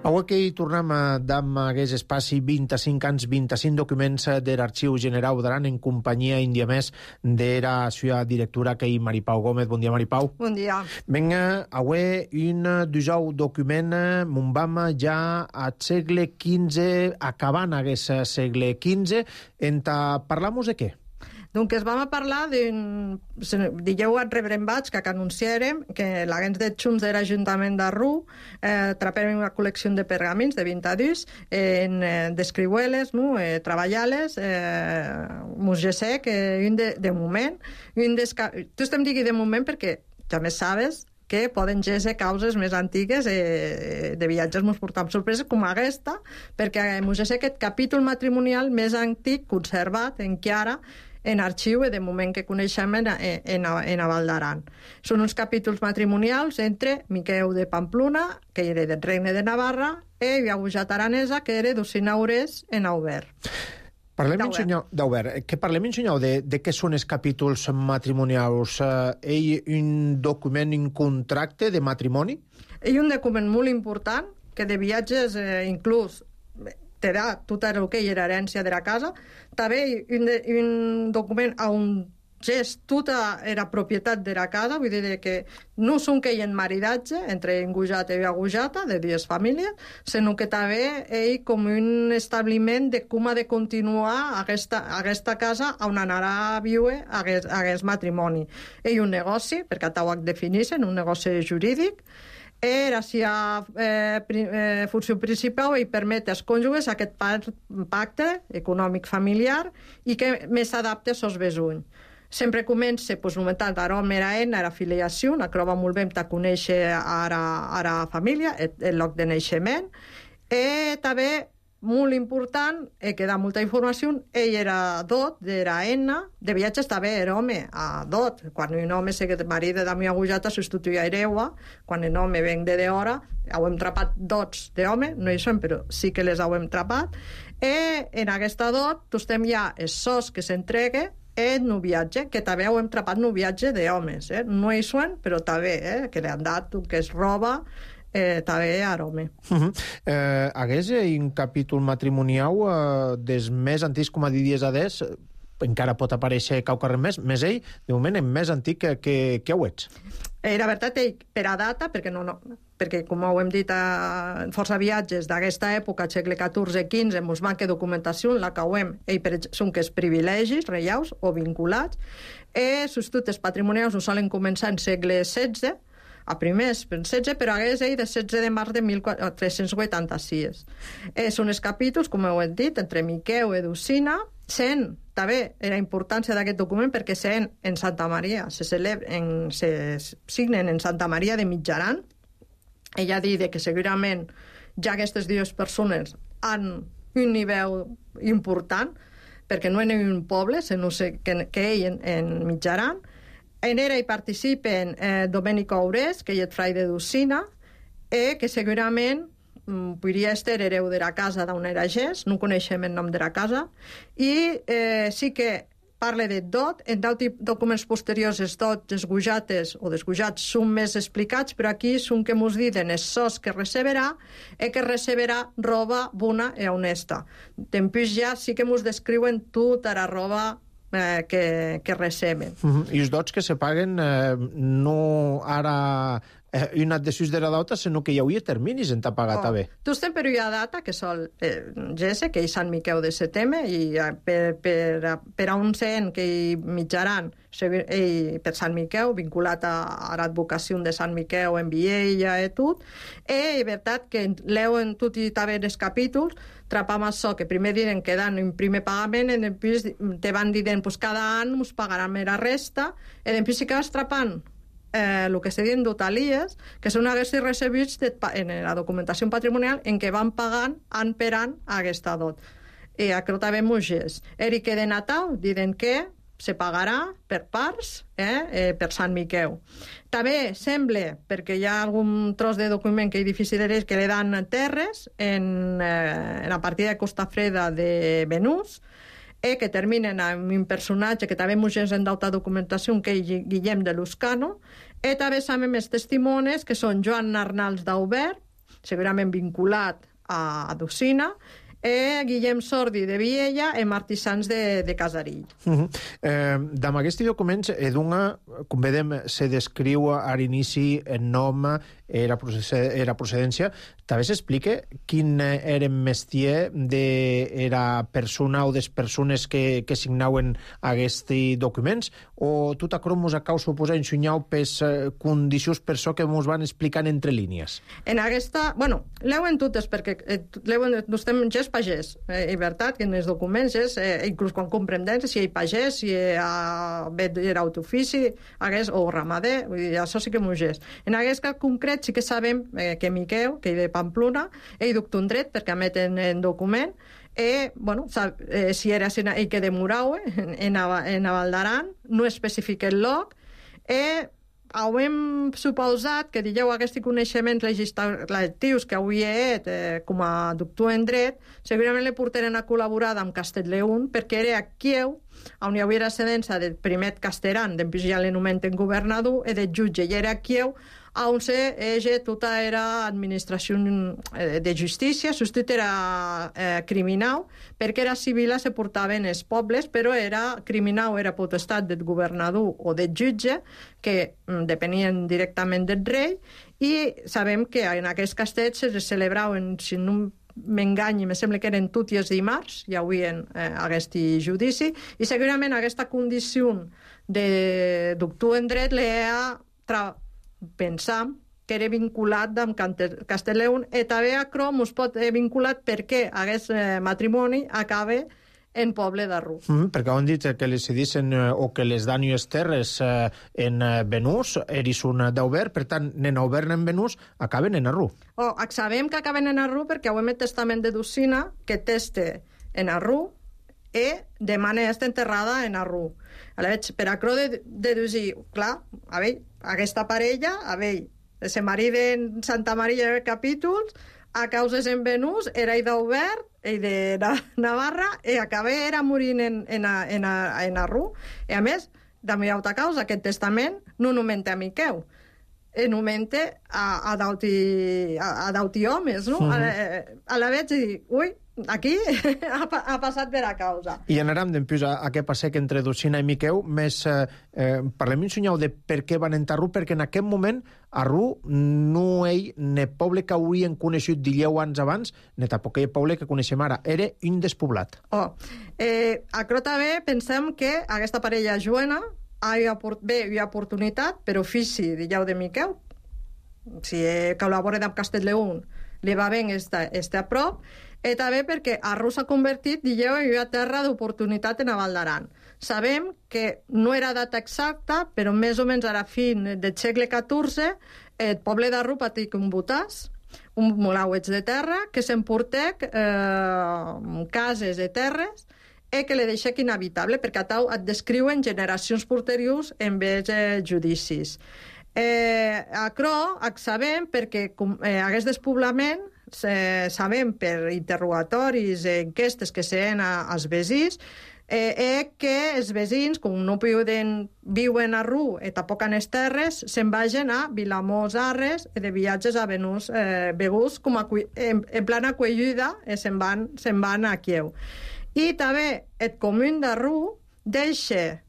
Avui que hi tornem a amb aquest espaci vint-i-cinc anys, vint-i-cinc documents de l'Arxiu Generau d'Aran en companyia índia més de la seva directora, que és Maripau Gómez. Bon dia, Maripau. Bon dia. Vinga, avui un dijous document mon vam ja al segle quinze, acabant aquest segle quinze, en parlem de què? Donc es vam a parlar d'un... Dijeu a Rebrembats que anunciarem que l'agents de Junts de l'Ajuntament de Ru eh, trapem una col·lecció de pergamins de vint adults en eh, descriueles, no? eh, treballar-les, eh, mos sé que un de, de moment... Un desca... Tu estem digui de moment perquè també sabes que poden ser causes més antigues eh, de viatges mos portam sorpreses com aquesta, perquè mos sé aquest capítol matrimonial més antic, conservat, encara, en arxiu, de moment que coneixem en, en, en a Val d'Aran. Són uns capítols matrimonials entre Miqueu de Pamplona, que era del Regne de Navarra, i Viagujat Aranesa, que era d'Ocinaures en Aubert. Parlem, senyor, d'Aubert, que parlem, senyor, de, de què són els capítols matrimonials? Eh, ell un document, un contracte de matrimoni? Ell un document molt important, que de viatges eh, inclús te da tot el que era herència de la casa. També un, un document on és tota era propietat de la casa, vull dir que no són que hi ha maridatge entre Ingujata i Viagujata, de dues famílies, sinó que també ell com un establiment de com ha de continuar aquesta, aquesta casa on anarà a viure aquest, aquest matrimoni. Ell un negoci, perquè ho defineixen, un negoci jurídic, era si a eh, eh, funció principal i permet als cònjuges aquest pacte econòmic familiar i que més s'adapta als seus besunys. Sempre comença, doncs, nomentant l'aroma era en, era filiació, una crova molt bé de conèixer ara, ara família, el, el lloc de naixement, i també molt important, eh, que da molta informació, ell era dot, era ena, de viatges també era home, a dot. Quan un home se que marit de mi agujata substituïa Ereua, quan un home ven de d'hora, hem trapat dots d'home, no hi són, però sí que les hem trapat, i en aquesta dot, tostem ja els sos que s'entregue, el noviatge, que també hem trapat noviatge d'homes, eh? No hi són, però també, eh? Que li han dat, que es roba, Eh, també arome. Uh -huh. eh, hagués un capítol matrimonial eh, des més antics, com a diries adés, eh, encara pot aparèixer qualque més, més ell, de moment, és més antic que, que, que ho ets. Eh, la veritat, ell, per a data, perquè, no, no, perquè com ho hem dit a força viatges d'aquesta època, segle catorze quinze, mos manca documentació, la que ho hem, ell, per, són que és privilegis reials o vinculats, i sus tutors patrimonials no solen començar en segle setze, a primers, per setze, però hagués ell de setze de març de mil tres-cents vuitanta-sis. Eh, són els capítols, com ho hem dit, entre Miqueu i Docina, sent, també, la importància d'aquest document perquè sent en Santa Maria, se, celebren, se signen en Santa Maria de Mitjaran. Ella diu que segurament ja aquestes dues persones han un nivell important, perquè no en un poble, sinó que, que ell en, en Mitjaran. En era hi participen eh, Domènico Aurès, que és frai de Docina, eh, que segurament mm, podria estar hereu de la casa d'on era gest, no coneixem el nom de la casa, i eh, sí que parla de dot, en documents posteriors els dots desgujates o desgujats són més explicats, però aquí són que mos diuen els sos que receberà i que receberà roba bona i honesta. Després ja sí que mos descriuen tota la roba Eh, que, que receben. Uh -huh. I els dots que se paguen eh, no ara eh, un adhesius de la data, sinó que hi hauria terminis en t'ha pagat, oh. també. Tu estem per una data que sol eh, Gese, que és Sant Miqueu de setembre, i eh, per, per, per a un cent que hi mitjaran i per Sant Miqueu, vinculat a, a l'advocació de Sant Miqueu en Viella i tot, i és veritat que leuen tot i també els capítols, trapam això, que primer diuen que dan un primer pagament, i després te van dient pues, cada any us pagaran la resta, i després si acabes trapant eh, el que se diuen dotalies, que són aquests recebits de, en la documentació patrimonial en què van pagant any per any aquesta dot. I això també m'ho és. Eri que de Natal diuen que se pagarà per parts, eh, eh, per Sant Miquel. També sembla, perquè hi ha algun tros de document que és difícil de dir, que li dan terres en, eh, en la partida de Costa Freda de Benús, eh, que terminen amb un personatge que també ens en d'alta documentació, que és Guillem de Luscano, i també sabem els testimonis, que són Joan Arnals d'Aubert, segurament vinculat a Docina, e Guillem Sordi de Viella e Martí Sans de, de Casarill. Uh -huh. eh, Damb aquests documents, Edunga, com vedem, se descriu a l'inici el nom, era, era procedència. També s'explica quin era el mestier de era persona o des persones que, que signaven aquests documents, o tot acrò mos acau suposar ensunyau pes eh, condicions per això que mos van explicant entre línies? En aquesta... Bueno, leuen totes, perquè eh, leuen, no estem gens pagès, eh, i veritat, que en els documents és, eh, inclús quan comprendem si hi ha pagès, si hi ha era autofici, hagués, o ramader, vull dir, això sí que m'ho és. En aquest cas concret sí que sabem eh, que Miquel, que és de Pamplona, ell duc un dret perquè emeten en document, e, bueno, sab, eh, si era ell que de Muraue, en, en, en Avaldaran, no especifica el lloc, e hem suposat que digueu aquests coneixements legislatius que avui he eh, com a doctor en dret, segurament li portaran a col·laborar amb Castellleón, perquè era a Kiev, on hi havia cedència del primer Casteran, després ja l'anomenten governador, i del jutge, i era a Kiev, on se ege tota era administració de justícia, substitut era eh, criminal, perquè era civil se portaven els pobles, però era criminal, era potestat del governador o del jutge, que mm, depenien directament del rei, i sabem que en aquests castells se celebraven, si no m'enganyi, me sembla que eren tots els dimarts, hi havia eh, aquest judici, i segurament aquesta condició de doctor en dret l'ha tra pensam que era vinculat amb Castellleón, i també a Crom es pot vinculat perquè aquest eh, matrimoni acaba en poble d'Arrú. Mm -hmm, perquè han dit que les cedissin eh, o que les dan les terres eh, en eh, Benús, eris un d'Aubert, per tant, en Aubert en Benús acaben en Arrú. Oh, sabem que acaben en Arrú perquè ho hem el testament de Docina, que teste en Arrú i demana estar enterrada en Arrú. Per a cro de deduir, clar, a veure, aquesta parella, a veure, se mariden Santa Maria de Capítols, a causes en Benús, era ell d'Aubert, ell de Navarra, i acaba era morint en, en, en, en Arrú. I a més, també hi ha altra causa, aquest testament no nomenta a Miquel, nomenta a, a d'auti homes, no? Mm -hmm. A, a la veig i dic, ui, aquí ha, ha passat per a causa. I anarem d'empús a, a què passa que entre Docina i Miquel, més eh, eh, parlem un senyal de per què van entrar a Arrú, perquè en aquest moment Arrú no ell, ne poble que haurien coneixut deu anys abans, ne tampoc el poble que coneixem ara, era un despoblat. Oh, eh, a Crota bé pensem que aquesta parella juena bé, hi ha oportunitat per ofici, digueu, de Miquel, si col·labora amb Castellleón, li va bé estar a prop, i també perquè Arrú s'ha convertit, digueu, en una terra d'oportunitat en Avaldaran. Sabem que no era data exacta, però més o menys a la fin del segle catorze, el poble d'Arrú patia un botàs, un molauets de terra, que s'emportec eh, cases de terres, i que li deixa inhabitable, perquè a tau et descriuen generacions posteriors en vez de judicis. Eh, a Cro, sabem, perquè eh, aquest despoblament eh, sabem per interrogatoris, eh, enquestes que se'n als veïns, eh, eh, que els veïns, com no poden viuen a Arrú i tampoc en les terres, se'n vagin a Vilamós, Arres, i de viatges a Benús, eh, Begús, com a, en, en plan acollida, eh, se'n van, se'n van a Kiev. I també el comú d'Arrú deixa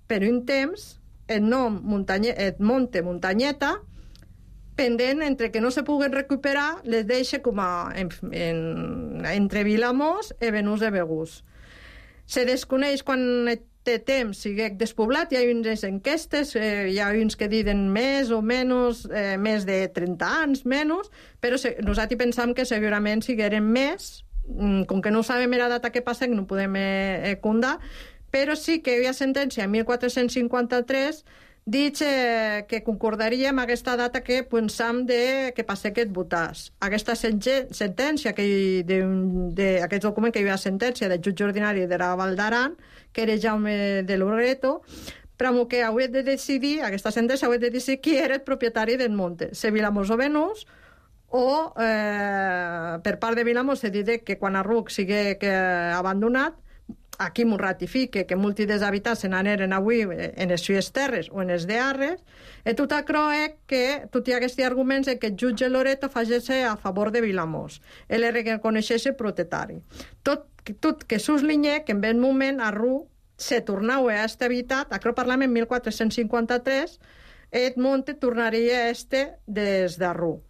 per un temps el nom Muntanye, el Monte Muntanyeta, pendent entre que no se puguen recuperar, les deixa com a en, en, entre Vilamós i Benús de Begús. Se desconeix quan té temps sigui despoblat, hi ha unes enquestes, eh, hi ha uns que diuen més o menys, eh, més de trenta anys, menys, però se, nosaltres pensam que segurament sigueren més, com que no sabem la data que passa, que no podem eh, condar, però sí que hi ha sentència en mil quatre-cents cinquanta-tres Dic eh, que concordaria amb aquesta data que pensam de que passe aquest votàs. Aquesta sentència, que d'aquest document que hi havia sentència del jutge ordinari de la Val d'Aran, que era Jaume de Loreto, però que hauria de decidir, aquesta sentència hauria de decidir qui era el propietari del monte, se Vilamós o Venús, o eh, per part de Vilamós se dit que quan Arruc sigui que abandonat, aquí m'ho ratifique, que molts dels habitants se n'aneren avui en les sues terres o en les de Arres, e tot això és que tot hi ha aquests arguments que el jutge Loreto facesse a favor de Vilamós. Ell reconeixeix el propietari. Tot, tot que s'uslinye que en aquest moment Arruc se tornava a este habitat, això parlem en mil quatre-cents cinquanta-tres, el monte tornaria a este des d'Arruc.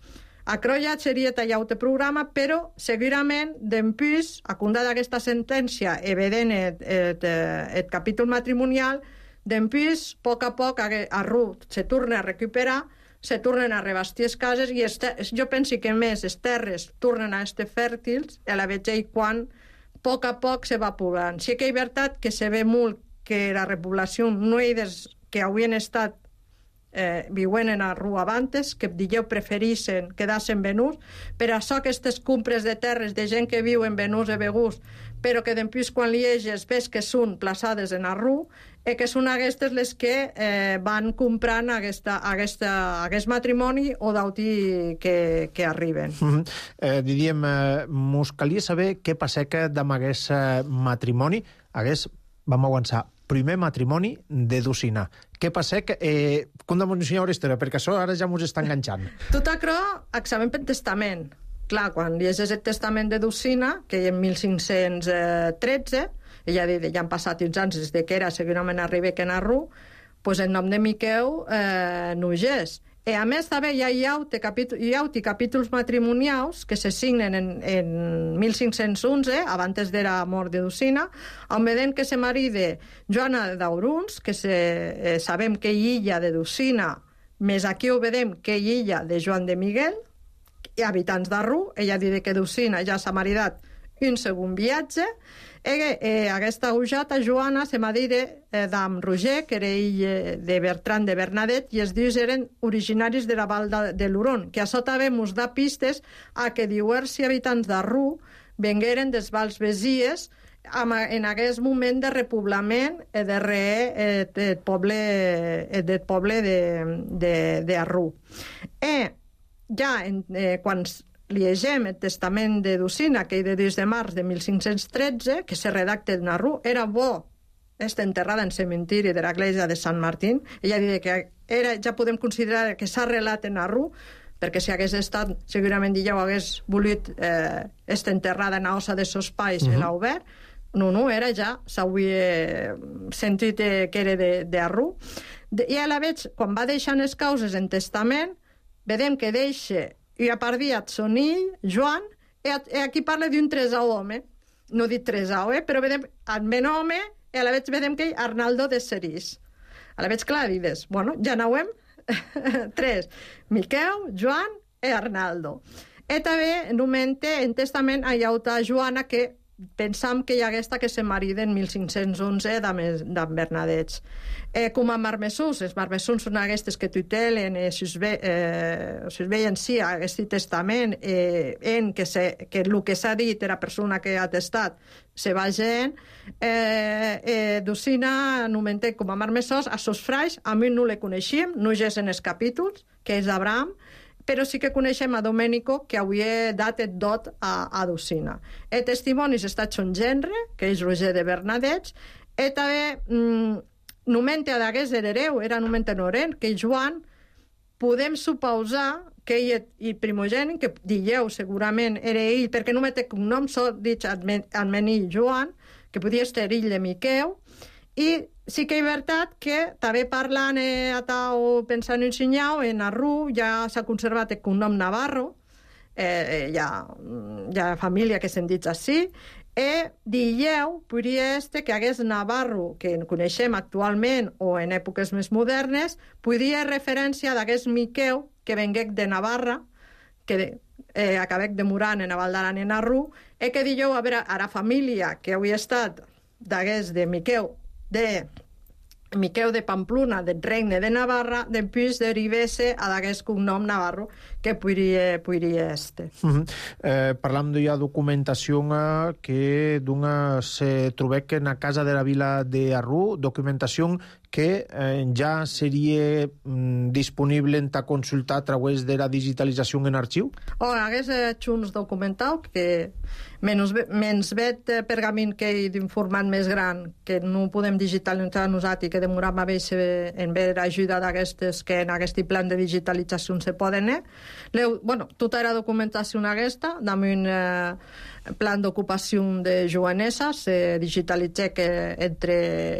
Això ja seria tallat el programa, però segurament, d'empús, a compte d'aquesta sentència, evident el, el, el capítol matrimonial, d'empús, a poc a poc, Arruc se torna a recuperar, se tornen a revestir les cases, i este, jo penso que més les terres tornen a estar fèrtils, a la vegada quan, a poc a poc, se va poblant. Sí que és veritat que se ve molt que la repoblació no hi des que haurien estat Eh, viuen en Arruc abans, que digueu preferissin quedar-se en Venús, per això aquestes compres de terres de gent que viu en Venús i Begús, però que després quan li lleges ves que són plaçades en Arruc, i que són aquestes les que eh, van comprant aquesta, aquesta, aquest matrimoni o d'autí que, que arriben. Mm -hmm. eh, diríem, eh, mos calia saber què passa que amb aquest eh, matrimoni hagués, vam avançar, primer matrimoni de Dusina. Què passa? Que, eh, com de m'ensenyar la història? Perquè això ara ja mos està enganxant. Tot això acabem pel testament. Clar, quan llegeix el testament de Dusina, que en mil cinc-cents tretze, ja, ja han passat uns anys des de que era segurament arriba en Arruc, pues el nom de Miqueu eh, no és. I a més també hi ha, hi ha, capítol, hi ha capítols matrimonials que se signen en, en mil cinc-cents onze, abans de la mort de Dusina, on veiem que se marida Joana d'Auruns, que se, eh, sabem que hi illa de Dusina, més aquí ho veiem que hi illa de Joan de Miguel, i habitants d'Arruc. Ella diu que Dusina ja s'ha maridat un segon viatge, i eh, aquesta ujata, Joana, se m'ha dit eh, d'Am Roger, que era ell de Bertran de Bernadet, i els dius eren originaris de la Val de, de l'Huron, que això també ens da pistes a que diversos habitants d'Arruc vengueren dels Vals Besies en aquest moment de repoblament eh, de re, eh, del poble, eh, del poble d'Arruc. I ja en, eh, quan llegem el testament de Dusina, que és de dos de març de mil cinc-cents tretze, que se redacta en Arruc, era bo està enterrada en cementiri de l'església de Sant Martín. Ella diu que era, ja podem considerar que s'ha arrelat en Arruc, perquè si hagués estat, segurament ja ho hagués volit eh, estar enterrada en la ossa de sos pais uh -huh. en l'obert. No, no, era ja, s'hauria sentit eh, que era d'Arruc. De, I a la veig, quan va deixant les causes en testament, vedem que deixa i a part diat Sonill, Joan, i aquí parla d'un tresau home. No dic tresau, eh? Però vedem el men home, i a la veig vedem que Arnaldo de Serís. A la veig clar, dius, bueno, ja n'hauem tres. Miqueu, Joan i Arnaldo. I també, en un moment, en testament, hi ha una Joana que pensam que hi ha aquesta que se marida en mil cinc-cents onze d'en Bernadets. Eh, com a marmessús, els marmessús són aquestes que tutelen, eh, si us ve, eh, si us veien sí, aquest testament, eh, en que, se, que el que s'ha dit era persona que ha testat, se va gent, eh, eh, Dusina anomenté com a marmessós, a sos frais, a mi no le coneixíem, no és en els capítols, que és Abraham, però sí que coneixem a Domènico, que havia dat el dot a, a Dusina. El testimoni està son gendre, que és Roger de Bernadets, i també mm, nomente a d'hagués herereu, era nomente noren, que Joan, podem suposar que ell, el primogènic, que dieu segurament era ell, perquè no me té cognom, sol dit almenir Joan, que podia estar ell de Miqueu, i sí que és veritat que també parlant eh, o pensant en Sinyau, en Arruc ja s'ha conservat el cognom Navarro, eh, hi, ha, hi ha família que se'n dit així, i dieu, podria este que hagués Navarro, que coneixem actualment o en èpoques més modernes, podria referència d'hagués Miqueu, que venguec de Navarra, que eh, acabec demorant en Val d'Aran en Arruc, i que dieu, a veure, a la família que havia estat d'hagués de Miqueu, de Miquel de Pamplona, del Regne de Navarra, després derivar-se a d'aquest cognom Navarro, que podria, podria este. Uh-huh. eh, parlam de ja documentació que d'una se trobec en la casa de la vila de Arrú, documentació que eh, ja seria mm, disponible en ta consultar a través de la digitalització en arxiu? O hagués hecho uns documental que menys, menys vet pergamin que hi d'informat més gran, que no podem digitalitzar nosaltres i que demoram a veure en veure ajuda d'aquestes que en aquest plan de digitalització se poden eh? Leu, bueno, tota la documentació aquesta, damunt eh, plan d'ocupació de jovenesa, se digitalitza que entre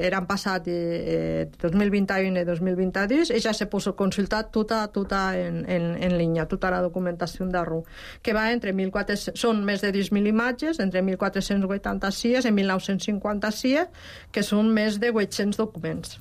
eren passat eh, dos mil vint u i dos mil vint-dos i ja se pot consultar tota, tota en, en, en línia, tota la documentació d'Arrú, que va entre mil quatre-cents, són més de deu mil imatges, entre mil quatre-cents vuitanta-sis i mil nou-cents cinquanta-sis, que són més de vuit-cents documents.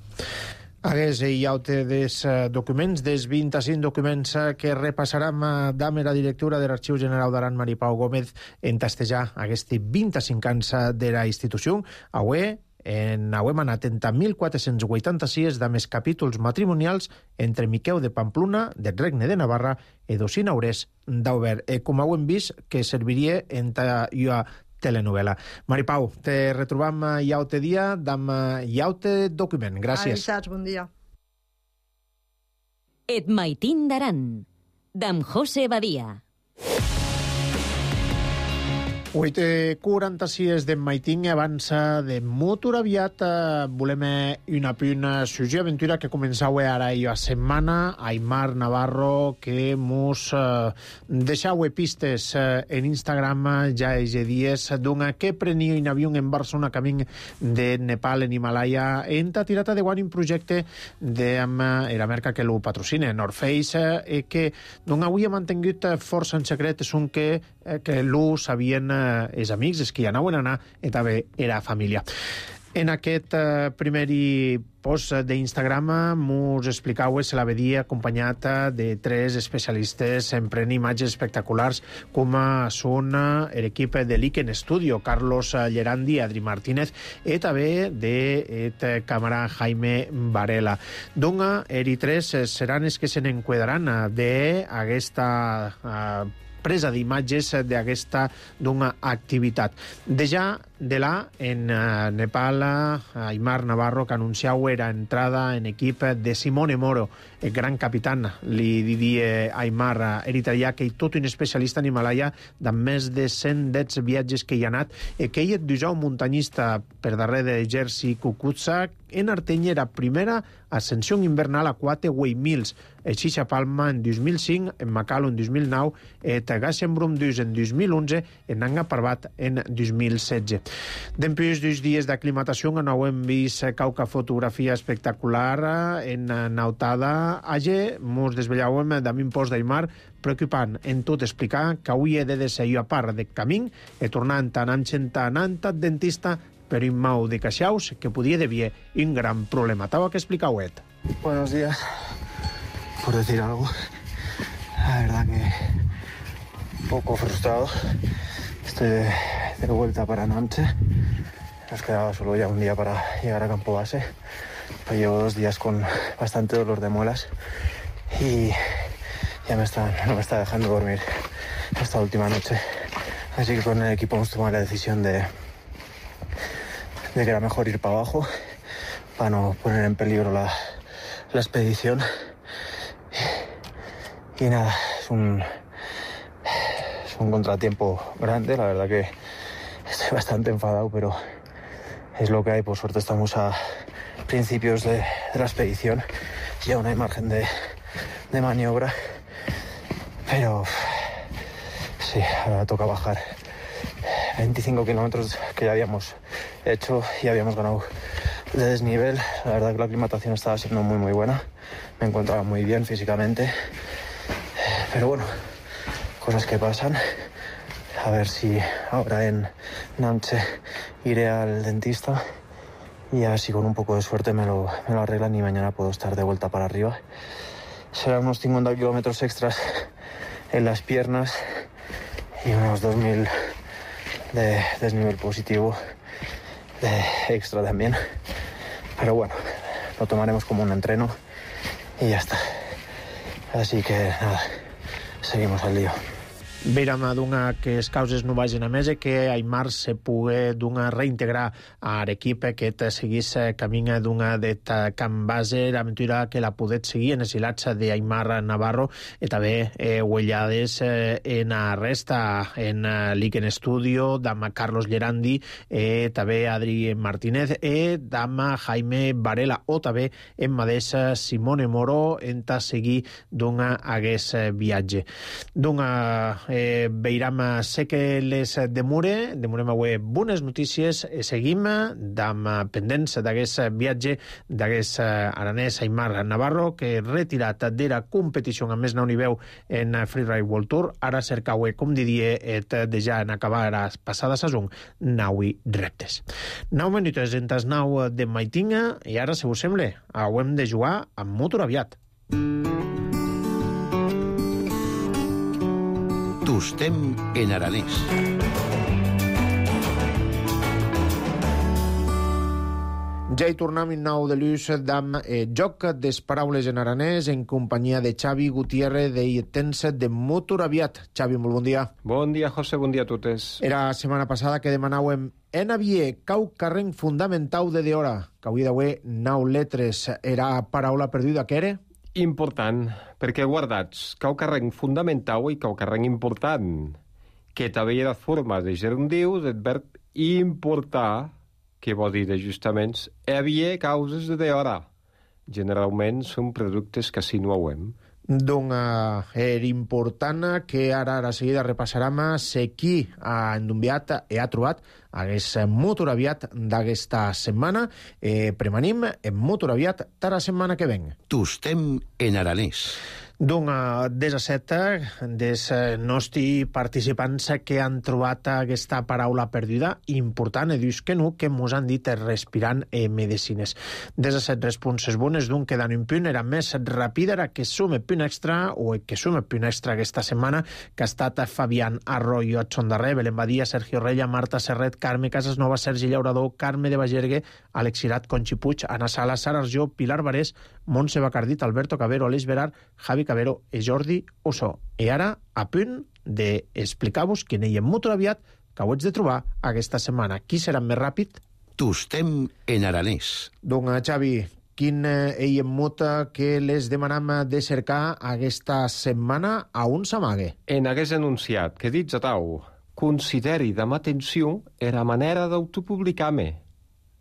Hagués hi ha des uh, documents, des vint-i-cinc documents uh, que repassarem uh, d'Ame la directora de l'Arxiu General d'Aran, Maripau Gómez, en tastejar aquests vint-i-cinc anys de la institució. Avui en hem anat entre mil quatre-cents vuitanta-sis de més capítols matrimonials entre Miquel de Pamplona, del Regne de Navarra, i Docina Aurès d'Auber. Eh, com hem vist, que serviria en ta telenovela. Maripau, te retrobam iaute dia d'am iaute document. Gràcies. Avisats, bon dia. Et maitin d'Aran, d'am José Badia. vuit i quaranta-sis de Maiting avança de molt aviat. Eh, volem una puna sujet aventura que començau ara i a setmana. Aimar Navarro, que mos eh, deixau pistes eh, en Instagram ja és dies d'una que prenia un avió en Barcelona camí de Nepal en Himalaya en ta tirata de guany un projecte de la marca que lo patrocina, North Face, eh, que d'on avui ha mantingut força en secret és un que, eh, que lo sabien eh, els amics, els que hi anaven a anar, i també era família. En aquest eh, primer post d'Instagram mos explicau se la vedia acompanyat de tres especialistes en prendre imatges espectaculars com són l'equip de l'Iken Studio, Carlos Llerandi, Adri Martínez, i també de càmera Jaime Varela. Doncs, eri tres seran els que se n'enquadraran d'aquesta eh, presa d'imatges d'aquesta d'una activitat. De ja de la en uh, Nepal, uh, Aimar Navarro, que anunciau era entrada en equip de Simone Moro, el gran capitán, li diria Aimar, uh, eritreà, que hi tot un especialista en Himalaya de més de cent deu viatges que hi ha anat, i que ell et dijau muntanyista per darrere de Jerzy Kukutsa, en Arteny era primera ascensió invernal a quatre Way Mills, en Xixa Palma en dos mil cinc, en Macalo en dos mil nou, et Gassenbrum dus en dos mil onze, en Nanga Parbat en dos mil setze. Després dos dies d'aclimatació no hem vist cauca fotografia espectacular en Nautada. Allà mos desvellàvem d'un post d'Aimar preocupant en tot explicar que avui he de deseir a part de camí i tornant anant anant al dentista per un mau de caixaus que podia devia un gran problema. Tau que explicauet. Buenos días. Por decir algo, la verdad que un poco frustrado. Estoy de, de vuelta para Nanche. Nos quedaba solo ya un día para llegar a Campo Base. Pero llevo dos días con bastante dolor de muelas y ya me está, no me está dejando dormir esta última noche. Así que con el equipo hemos tomado la decisión de, de que era mejor ir para abajo para no poner en peligro la, la expedición. Y, y nada, es un... Es un contratiempo grande, la verdad que estoy bastante enfadado, pero es lo que hay. Por suerte estamos a principios de, de la expedición y aún hay margen de, de maniobra, pero sí, ahora toca bajar veinticinco kilómetros que ya habíamos hecho y habíamos ganado de desnivel. La verdad que la aclimatación estaba siendo muy muy buena, me encontraba muy bien físicamente, pero bueno, cosas que pasan. A ver si ahora en Nanche iré al dentista y a ver si con un poco de suerte me lo, me lo arreglan y mañana puedo estar de vuelta para arriba. Serán unos cincuenta kilómetros extras en las piernas y unos dos mil de desnivel positivo de extra también. Pero bueno, lo tomaremos como un entreno y ya está. Así que nada, seguimos al lío. Vérem d'una que les causes no vagin a més i que Aimar se pugui d'una reintegrar a l'equip que seguís camí d'una det camp base, l'aventura que la podet seguir en els hilats d'Aimar Navarro i també eh, huellades eh, en la resta, en l'Iken Studio, d'ama Carlos Llerandi, eh, també Adri Martínez, i d'ama Jaime Varela, o també en mateix Simone Moro, en ta seguir d'una hagués viatge. D'una Eh, veiram sé que les demure, demurem avui bones notícies, eh, seguim d'am pendents d'aquest viatge d'aquest aranès Aimar Navarro, que retirat de la competició amb més nau nivell en Freeride World Tour, ara cercau, com diria, et de ja en acabar la passada saison, naui reptes. Nou minuts entes nau de maitinga, i ara, si us sembla, hem de jugar amb motor aviat. Tostem en aranès. Ja hi tornem en nou de l'ús d'am eh, joc des paraules en aranès en companyia de Xavi Gutiérrez de Itense de Motor Aviat. Xavi, molt bon dia. Bon dia, José, bon dia a totes. Era la setmana passada que demanàvem en avier cau carreng fundamentau de d'hora, que avui d'avui nou letres era paraula perduda, que era? Important, perquè guardats, cau carreng fundamental i cau carreng important, que també hi ha formes de gerundiu del verb importar, que vol dir d'ajustaments, hi havia causes de d'hora. Generalment són productes que si no hem. Doncs era important que ara a la seguida repassarem se qui ha endumbiat i ha trobat hagués motor aviat d'aquesta setmana. Eh, premanim en motor aviat de la setmana que ven. Tostem en aranès. Doncs des a set des nostres participants que han trobat aquesta paraula perduda important, i dius que no, que mos han dit respirant eh, medicines. Des a set responses bones d'un quedant un punt, era més ràpida, era que sume punt extra, o que sume punt extra aquesta setmana, que ha estat Fabián Arroyo, Adson Darrer, Belén Badia, Sergio Rella, Marta Serret, Carme Casasnova, Sergi Llaurador, Carme de Bagergue, Àlex Cirat, Conxi Puig, Ana Sala, Sara Arjó, Pilar Barés, Montse Bacardit, Alberto Cabero, Aleix Berard, Javi Cabero i Jordi Ossó. I ara, a punt d'explicar-vos quin hi ha motor aviat que ho haig de trobar aquesta setmana. Qui serà més ràpid? Tostem en aranès. Doncs, Xavi, quin hi ha motor que les demanam de cercar aquesta setmana a un s'amague? En hagués anunciat que dits a tau, consideri amb atenció era manera d'autopublicar-me.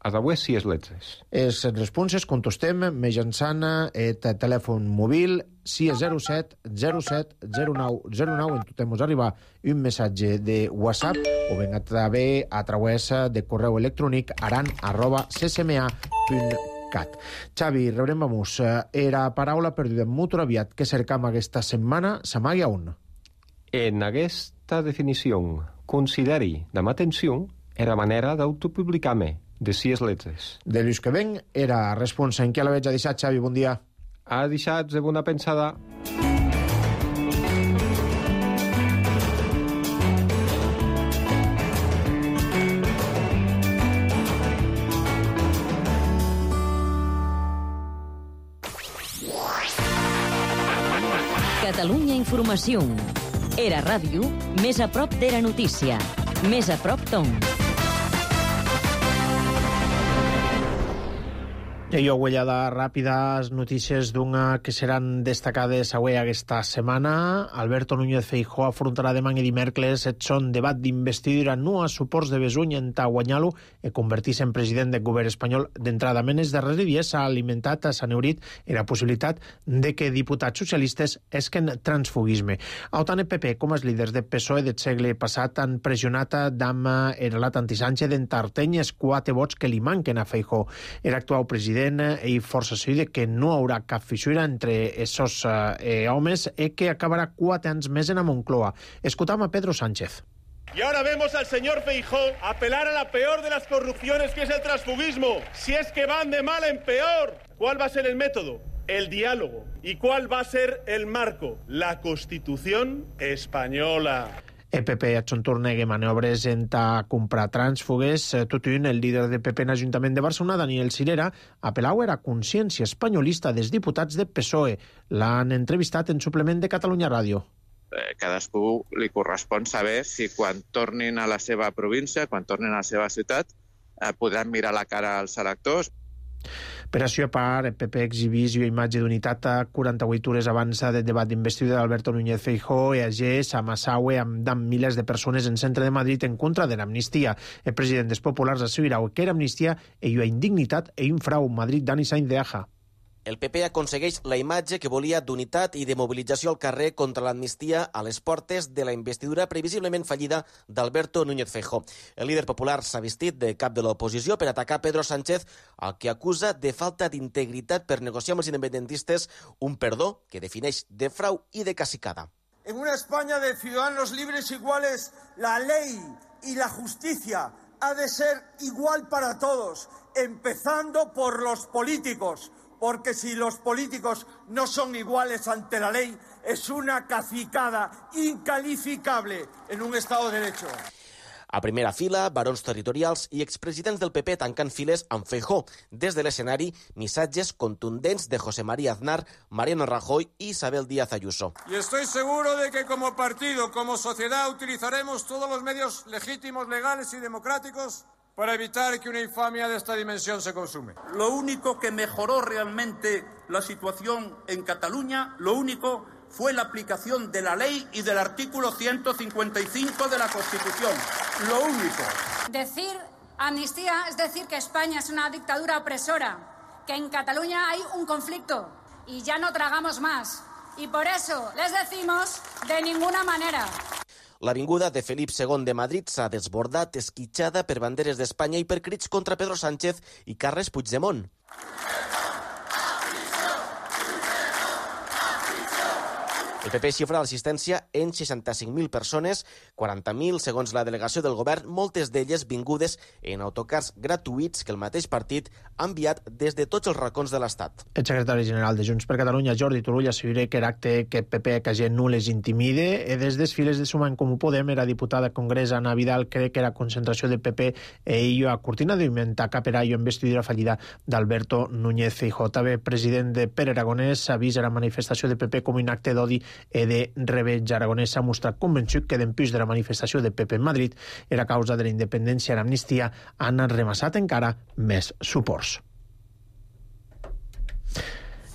A d'avui sí és letres. Les responses contestem mitjançant el telèfon mòbil sis zero set zero set zero nou zero nou. En tot mos arriba un missatge de WhatsApp o ben a través a través de correu electrònic aran arroba c c m a punt cat. Xavi, rebrem vamos. Era paraula perduda en motor aviat que cercam aquesta setmana s'amague a un. En aquesta definició, consideri amb atenció era manera d'autopublicar-me. De sis letres. De l'ús que ven era responsa. En què la veig a deixar, Xavi? Bon dia. Ha deixat de bona pensada. Catalunya Informació. Era ràdio, més a prop de la notícia. Més a prop Tom. I jo huellada ràpides notícies d'una que seran destacades avui aquesta setmana. Alberto Núñez Feijóo afrontarà demà i dimecres et son debat d'investidura no a suports de Besuny en ta guanyar-lo i convertir-se en president del govern espanyol d'entrada. En els darrers dies s'ha alimentat, s'ha neurit i la possibilitat de que diputats socialistes esquen transfugisme. Autant el P P com els líders del P S O E del segle passat han pressionat d'ama el relat anti-Sánchez d'entarteny els quatre vots que li manquen a Feijóo. El actual president i força seguida que no haurà cap fissura entre esos eh, homes i que acabarà quatre anys més en a Moncloa. Escutam a Pedro Sánchez. Y ahora vemos al señor Feijóo apelar a la peor de las corrupciones, que es el transfugismo. Si es que van de mal en peor, ¿cuál va a ser el método? El diálogo. ¿Y cuál va a ser el marco? La Constitución española. El P P a Xontornegue maniobres en a comprar trànsfugues. Tot un, el líder del P P en l'Ajuntament de Barcelona, Daniel Sirera, apel·lau a consciència espanyolista dels diputats del P S O E. L'han entrevistat en suplement de Catalunya Ràdio. Eh, cadascú li correspon saber si quan tornin a la seva província, quan tornin a la seva ciutat, eh, podran mirar la cara als electors. Per això, a part, el P P exhibís una imatge d'unitat a quaranta-vuit hores abans del debat d'investidura d'Alberto Núñez Feijóo i a Gés, a Massaue, amb milers de persones en centre de Madrid en contra de l'amnistia. El president dels populars assegurau que era amnistia i una indignitat i un frau. Madrid, Dani Sainz de Aja. El P P aconsegueix la imatge que volia d'unitat i de mobilització al carrer contra l'amnistia a les portes de la investidura previsiblement fallida d'Alberto Núñez Feijóo. El líder popular s'ha vestit de cap de l'oposició per atacar Pedro Sánchez, al que acusa de falta d'integritat per negociar amb els independentistes un perdó que defineix de frau i de cacicada. En una España de ciudadanos libres iguales, la ley y la justicia ha de ser igual para todos, empezando por los políticos. Porque si los políticos no son iguales ante la ley, es una cacicada incalificable en un Estado de Derecho. A primera fila, barons territorials i expresidents del P P tancant files amb Feijóo. Des de l'escenari, missatges contundents de José María Aznar, Mariano Rajoy y Isabel Díaz Ayuso. Y estoy seguro de que como partido, como sociedad, utilizaremos todos los medios legítimos, legales y democráticos para evitar que una infamia de esta dimensión se consume. Lo único que mejoró realmente la situación en Cataluña, lo único fue la aplicación de la ley y del artículo ciento cincuenta y cinco de la Constitución. Lo único. Decir amnistía es decir que España es una dictadura opresora, que en Cataluña hay un conflicto y ya no tragamos más. Y por eso les decimos de ninguna manera. L'avinguda de Felip segon de Madrid s'ha desbordat, esquitxada per banderes d'Espanya i per crits contra Pedro Sánchez i Carles Puigdemont. El P P xifra l'assistència en seixanta-cinc mil persones, quaranta mil segons la delegació del govern, moltes d'elles vingudes en autocars gratuïts que el mateix partit ha enviat des de tots els racons de l'Estat. El secretari general de Junts per Catalunya, Jordi Turull, assegura que era acte que el P P que gent no les intimide. I des dels files de Suma en Comú Podem, era diputada al Congrés Ana Vidal, cree que era concentració del P P e ella a cortina d'Imenta caperà i investidura fallida d'Alberto Núñez Feijóo. També el president de Pere Aragonès avisa la manifestació del P P com un acte d'odi e de reveig. Aragonès s'ha mostrat convençut que d'empús de la manifestació del P P en Madrid era causa de la independència i l'amnistia han remassat encara més suports.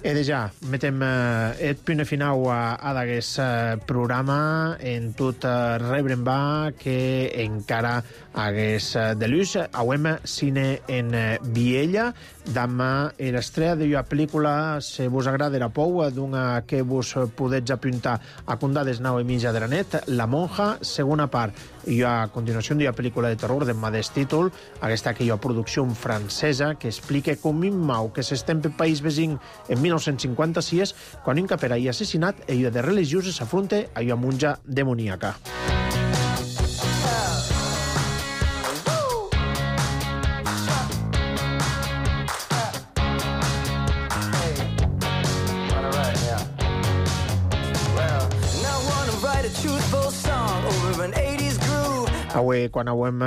E de ja, metem eh, el punt final a, a d'aquest eh, programa en tot eh, rebrem va que encara hagués eh, de l'ús. Auem cine en eh, Viella. Demà l'estrella de la pel·lícula, si vos agrada la pou, d'una que vos podets apuntar a condades nau i mitja de la net, La monja, segona part. I a continuació de la pel·lícula de terror de mateix títol, aquesta que hi ha producció francesa que explica com un mau que s'estén pel país vecí en mil nou-cents cinquanta-sis, quan un capera i assassinat, ella de religioses s'afronta a una monja demoníaca. Avui, quan hem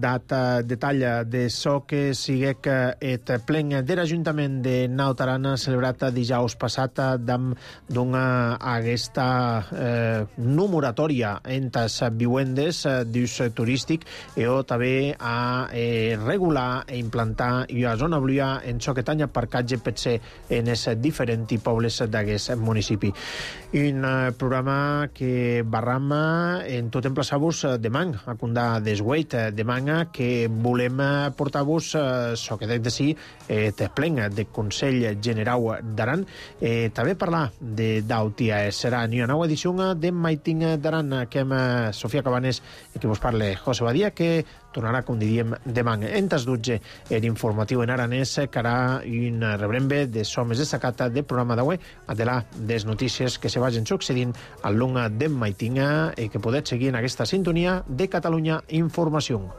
dat detall de so que sigue que et plen de l'Ajuntament de Naut Aran celebrat dijous passat d'una aquesta eh, no moratòria en les vivendes d'ús turístic i també a eh, regular i implantar una zona blua en so que tanya parcatge pot ser en els diferents pobles d'aquest municipi. Un eh, programa que barram en tot emplaçar-vos demà a Condà d'Esgueit, demà que volem portar-vos so que de si et plen de Consell Generau d'Aran, eh, també parlar de d'Autia. Serà una nova edició de Maiting d'Aran que amb Sofia Cabanes i que vos parle José Badia, que tornarà, com diríem, demà en tas dotze l'informatiu en aranès, que harà un rebrembe de so més destacat del programa d'avui, de la des notícies que se vagin succeint al long de Maiting i que podeu seguir en aquesta sintonia de Catalunya Informació.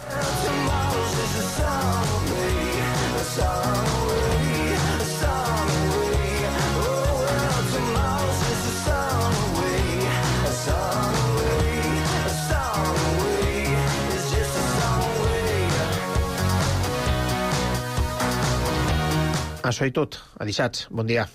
Això i tot. A dissabte. Bon dia.